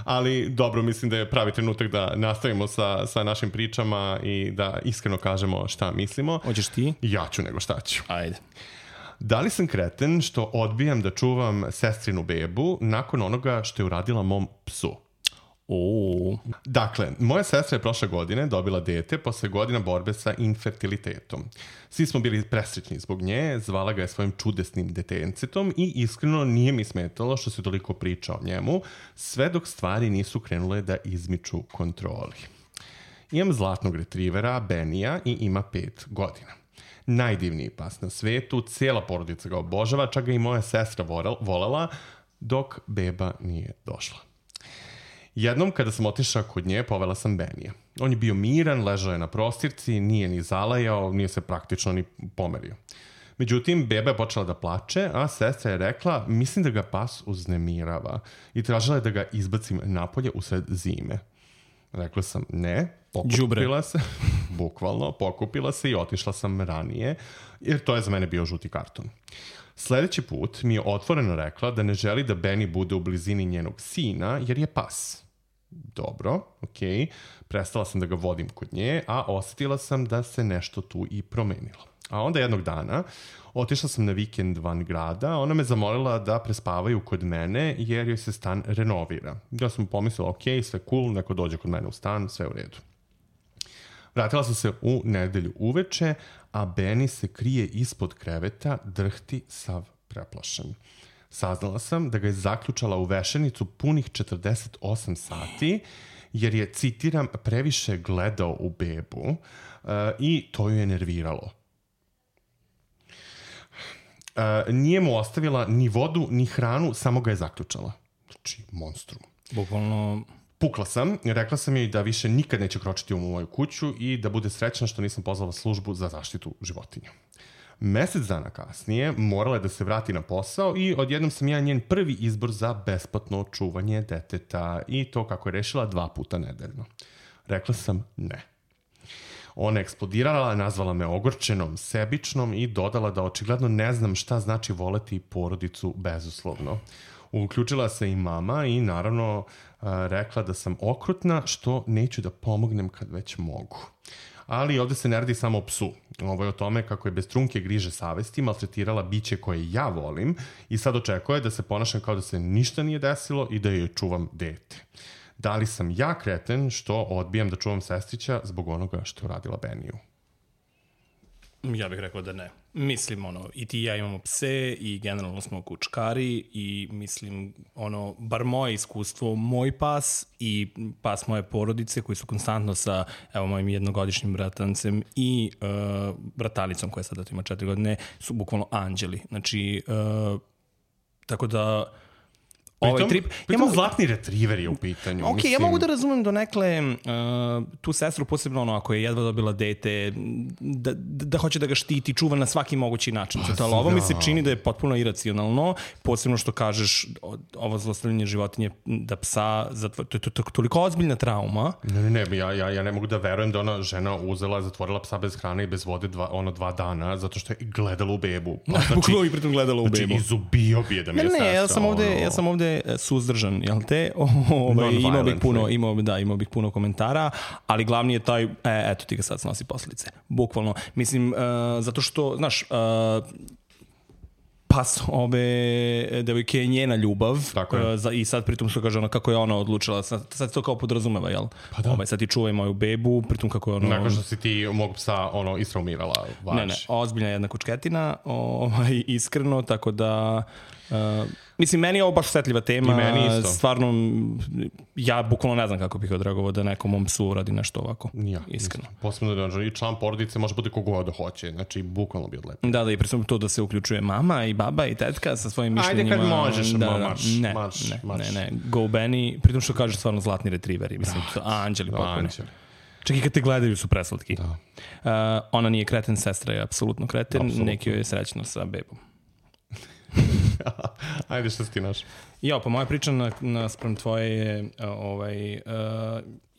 Ali dobro, mislim da je pravi trenutak da nastavimo sa, sa našim pričama i da iskreno kažemo šta mislimo. Hoćeš ti? Ja ću nego šta ću. Ajde. Da li sam kreten što odbijam da čuvam sestrinu bebu nakon onoga što je uradila mom psu? Oh. Dakle, moja sestra je prošle godine dobila dete posle godina borbe sa infertilitetom. Svi smo bili presrećni zbog nje, zvala ga je svojim čudesnim detencetom i iskreno nije mi smetalo što se toliko priča o njemu, sve dok stvari nisu krenule da izmiču kontroli. Imam zlatnog retrivera, Benija, i ima pet godina. Najdivniji pas na svetu, cijela porodica ga obožava, čak ga i moja sestra volela, dok beba nije došla. Jednom kada sam otišao kod nje, povela sam Benija. On je bio miran, ležao je na prostirci, nije ni zalajao, nije se praktično ni pomerio. Međutim, beba je počela da plače, a sestra je rekla, mislim da ga pas uznemirava i tražila je da ga izbacim napolje usred zime. Rekla sam ne, pokupila se, bukvalno, pokupila se i otišla sam ranije, jer to je za mene bio žuti karton. Sljedeći put mi je otvoreno rekla da ne želi da Benny bude u blizini njenog sina, jer je pas. Dobro, okej. Okay. Prestala sam da ga vodim kod nje, a osjetila sam da se nešto tu i promenilo. A onda jednog dana otišla sam na vikend van grada, ona me zamolila da prespavaju kod mene jer joj se stan renovira. Ja sam pomislila, ok, sve cool, neko dođe kod mene u stan, sve u redu. Vratila sam se u nedelju uveče, a Benny se krije ispod kreveta, drhti sav preplašen. Saznala sam da ga je zaključala u vešenicu punih četrdeset osam sati, jer je, citiram, previše gledao u bebu uh, i to ju je nerviralo. Uh, nije mu ostavila ni vodu, ni hranu, samo ga je zaključala. Znači, monstrum. Bukvalno... Pukla sam, rekla sam joj da više nikad neće kročiti u moju kuću i da bude srećna što nisam pozvala službu za zaštitu životinja. Mesec dana kasnije morala je da se vrati na posao i odjednom sam ja njen prvi izbor za besplatno čuvanje deteta i to kako je rešila dva puta nedeljno. Rekla sam ne. Ona je eksplodirala, nazvala me ogorčenom, sebičnom i dodala da očigledno ne znam šta znači voleti porodicu bezuslovno. Uključila se i mama i naravno rekla da sam okrutna što neću da pomognem kad već mogu. Ali ovdje se ne radi samo o psu. Ovo je o tome kako je bez trunke griže savesti maltretirala biće koje ja volim i sad očekuje da se ponašam kao da se ništa nije desilo i da joj čuvam dete. Da li sam ja kreten što odbijam da čuvam sestrića zbog onoga što je uradila Beniju? Ja bih rekao da ne. Mislim, ono, i ti i ja imamo pse i generalno smo kučkari i mislim, ono, bar moje iskustvo, moj pas i pas moje porodice koji su konstantno sa, evo, mojim jednogodišnjim bratancem i uh, bratalicom koja sada ima četiri godine, su bukvalno anđeli. Znači, uh, tako da Pritom, ovaj trip... pritom ja mogu, zlatni retriver je u pitanju. Ok, mislim... ja mogu da razumem donekle uh, tu sestru, posebno ono, ako je jedva dobila dete, da, da, da hoće da ga štiti, čuva na svaki mogući način. Zato, ali ovo mi se čini da je potpuno iracionalno, posebno što kažeš ovo zlostavljanje životinje da psa, zatvor, to je to, to, to, toliko ozbiljna trauma. Ne, ne, ne, ja, ja, ja ne mogu da verujem da ona žena uzela, zatvorila psa bez hrane i bez vode dva, ono dva dana, zato što je gledala u bebu. Pa, znači, Bukvalo i pritom gledala u znači, bebu. Znači, izubio bi je da mi Ne, je ne, sestra. ja sam ovde, ono... ja sam ovde suzdržan, jel te? Ovaj, imao bih puno, imao, da, imao bih puno komentara, ali glavni je taj, e, eto ti ga sad snosi posljedice. Bukvalno. Mislim, uh, zato što, znaš, uh, pas ove devojke je njena ljubav uh, za, i sad pritom što kaže ona kako je ona odlučila, sad, sad to kao podrazumeva, jel? Pa da. Ovaj, sad ti čuvaj moju bebu, pritom kako je ono... Nakon što si ti mog psa ono, istraumirala. Vaš. Ne, ne, ozbiljna jedna kučketina, ovaj, iskreno, tako da... Uh, mislim, meni je ovo baš osjetljiva tema. I meni isto. Stvarno, ja bukvalno ne znam kako bih odreagovao da nekom mom psu uradi nešto ovako. Ja, iskreno. Posebno da i član porodice može biti kogo god hoće. Znači, bukvalno bi odlepio. Da, da, i presudno to da se uključuje mama i baba i tetka sa svojim mišljenjima. Ajde kad možeš, da, ma, da, marš, ne, marš, ne, marš. ne, ne, go Benny, pritom što kaže stvarno zlatni retriveri. Mislim, to, anđeli potpuno. Anđeli. Čak i kad te gledaju su preslatki. Da. Uh, ona nije kreten, sestra je apsolutno kreten, Apsolutno. neki joj je srećno sa bebom. Ajde, što si ti naš? Jo, pa moja priča na, naspram tvoje je, uh, ovaj, uh,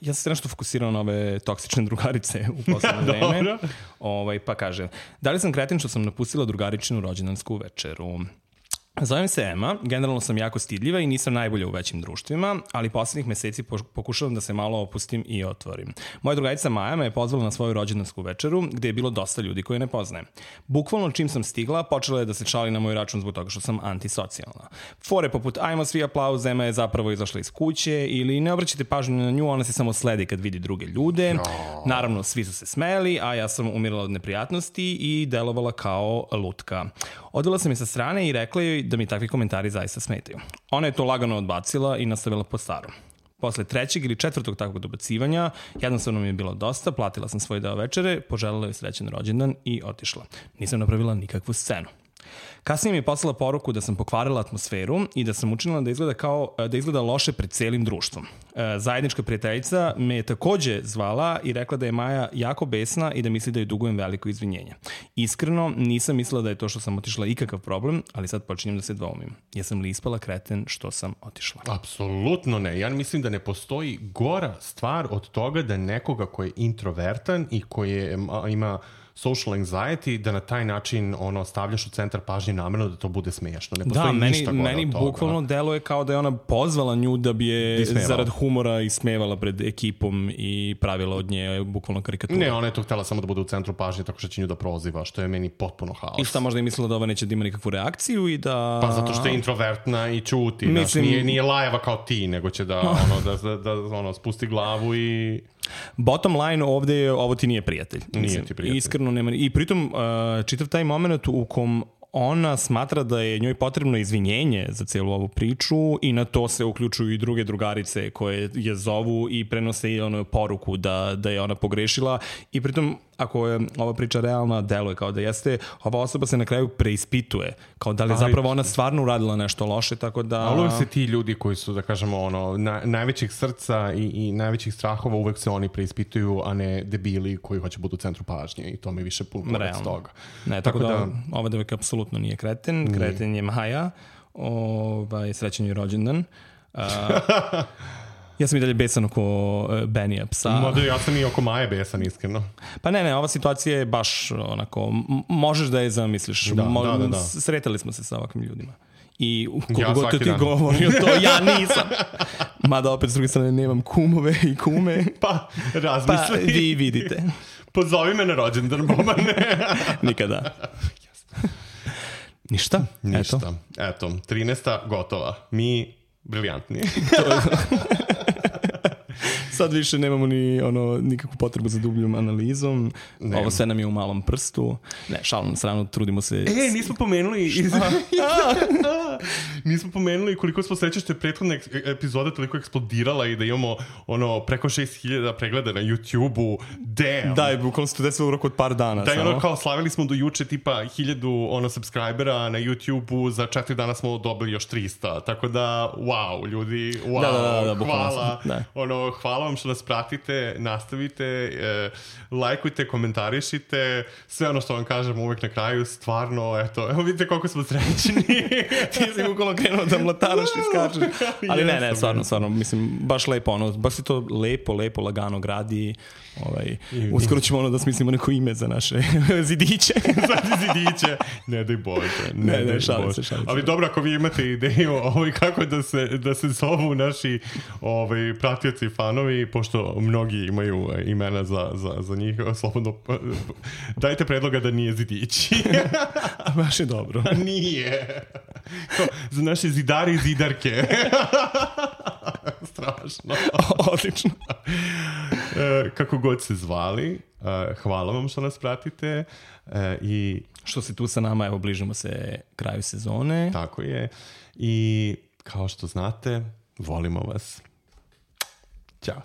ja sam se nešto fokusirao na ove toksične drugarice u poslednje vreme. Ovaj, pa kaže, da li sam kreten što sam napustila drugaričinu rođendansku večeru? Zovem se Ema, generalno sam jako stidljiva i nisam najbolja u većim društvima, ali poslednjih meseci pokušavam da se malo opustim i otvorim. Moja drugarica Maja me je pozvala na svoju rođendansku večeru, gde je bilo dosta ljudi koje ne poznajem. Bukvalno čim sam stigla, počela je da se šali na moj račun zbog toga što sam antisocijalna. Fore poput ajmo svi aplauz, Ema je zapravo izašla iz kuće, ili ne obraćajte pažnju na nju, ona se samo sledi kad vidi druge ljude. Naravno, svi su se smeli, a ja sam umirala od neprijatnosti i delovala kao lutka. Odvela sam je sa strane i rekla joj da mi takvi komentari zaista smetaju. Ona je to lagano odbacila i nastavila po starom. Posle trećeg ili četvrtog takvog dobacivanja, jednostavno mi je bilo dosta, platila sam svoj deo večere, poželjela joj srećan rođendan i otišla. Nisam napravila nikakvu scenu. Kasnije mi je poslala poruku da sam pokvarila atmosferu i da sam učinila da izgleda kao da izgleda loše pred celim društvom. Zajednička prijateljica me je takođe zvala i rekla da je Maja jako besna i da misli da joj dugujem veliko izvinjenje. Iskreno, nisam mislila da je to što sam otišla ikakav problem, ali sad počinjem da se dvoumim. Jesam li ispala kreten što sam otišla? Apsolutno ne. Ja mislim da ne postoji gora stvar od toga da nekoga koji je introvertan i koji je, ima social anxiety, da na taj način ono, stavljaš u centar pažnje namerno da to bude smiješno. Ne postoji da, meni, ništa gore meni od toga. bukvalno deluje kao da je ona pozvala nju da bi je Ismevala. zarad humora ismevala pred ekipom i pravila od nje bukvalno karikaturu. Ne, ona je to htjela samo da bude u centru pažnje tako što će nju da proziva, što je meni potpuno haos. I šta možda je mislila da ova neće da ima nikakvu reakciju i da... Pa zato što je introvertna i čuti. Mislim... Znaš, nije, nije lajeva kao ti, nego će da, ono, da, da, da ono, spusti glavu i... Bottom line ovde je, ovo ti nije prijatelj. Nije Mislim, ti prijatelj. Iskreno nema... I pritom, uh, čitav taj moment u kom ona smatra da je njoj potrebno izvinjenje za cijelu ovu priču i na to se uključuju i druge drugarice koje je zovu i prenose i ono poruku da, da je ona pogrešila i pritom ako je ova priča realna, deluje kao da jeste, ova osoba se na kraju preispituje, kao da li je zapravo ona stvarno uradila nešto loše, tako da... Ali uvijek se ti ljudi koji su, da kažemo, ono, na, najvećih srca i, i najvećih strahova, uvijek se oni preispituju, a ne debili koji hoće budu u centru pažnje i to mi više pun pored toga. Ne, tako, tako da, da ova devojka apsolutno nije kreten, nije. Kreten je Maja, ovaj, srećan je rođendan. Uh, Ja sam i dalje besan oko uh, Benija psa. Mada ja sam i oko Maje besan, iskreno. Pa ne, ne, ova situacija je baš onako, m- možeš da je zamisliš. Da, Mo- da, da, da. Sretali smo se sa ovakvim ljudima. I koliko ja god to ti govorio to, ja nisam. Mada opet s druge strane nemam kumove i kume. Pa, razmisli. Pa vi vidite. Pozovi me na rođendan, Bobane. Nikada. Ništa? Ništa. Eto. Eto, trinaesta gotova. Mi briljantni. Sad više nemamo ni ono, nikakvu potrebu za dubljom analizom. Nema. Ovo sve nam je u malom prstu. Ne, šalom na stranu, trudimo se... E, nismo pomenuli... Iz... nismo pomenuli koliko smo sreće što je prethodna epizoda toliko eksplodirala i da imamo ono, preko šest hiljada pregleda na YouTube-u. Damn! Da, je bukvalno se to desilo u roku od par dana. Da, samo. ono, kao slavili smo do juče tipa hiljadu ono, subscribera na YouTube-u, za četiri dana smo dobili još trista. Tako da, wow, ljudi, wow, da, da, da, da, hvala. Da. Ono, hvala vam što nas pratite, nastavite, e, lajkujte, komentarišite, sve ono što vam kažem uvek na kraju, stvarno, eto, evo vidite koliko smo srećni. Ti si bukvalno krenuo da mlataraš i skačeš. Ali ne, ne, stvarno, stvarno, mislim, baš lepo, ono, baš si to lepo, lepo, lagano gradi. Ovaj, uskoro ćemo ono da smislimo neko ime za naše zidiće. Za zidiće. Ne daj Bože. Ne, ne, ne šalim se, šalim se. Ali dobro, ako vi imate ideju ovaj, kako da se, da se zovu naši ovaj, pratioci i fanovi, pošto mnogi imaju imena za, za, za njih, slobodno dajte predloga da nije zidići. Baš je dobro. Nije. Ko, za naše zidari i zidarke. Strašno. Odlično. E, kako god se zvali, e, hvala vam što nas pratite e, i što se tu sa nama, evo bližimo se kraju sezone. Tako je. I kao što znate, volimo vas. Ćao.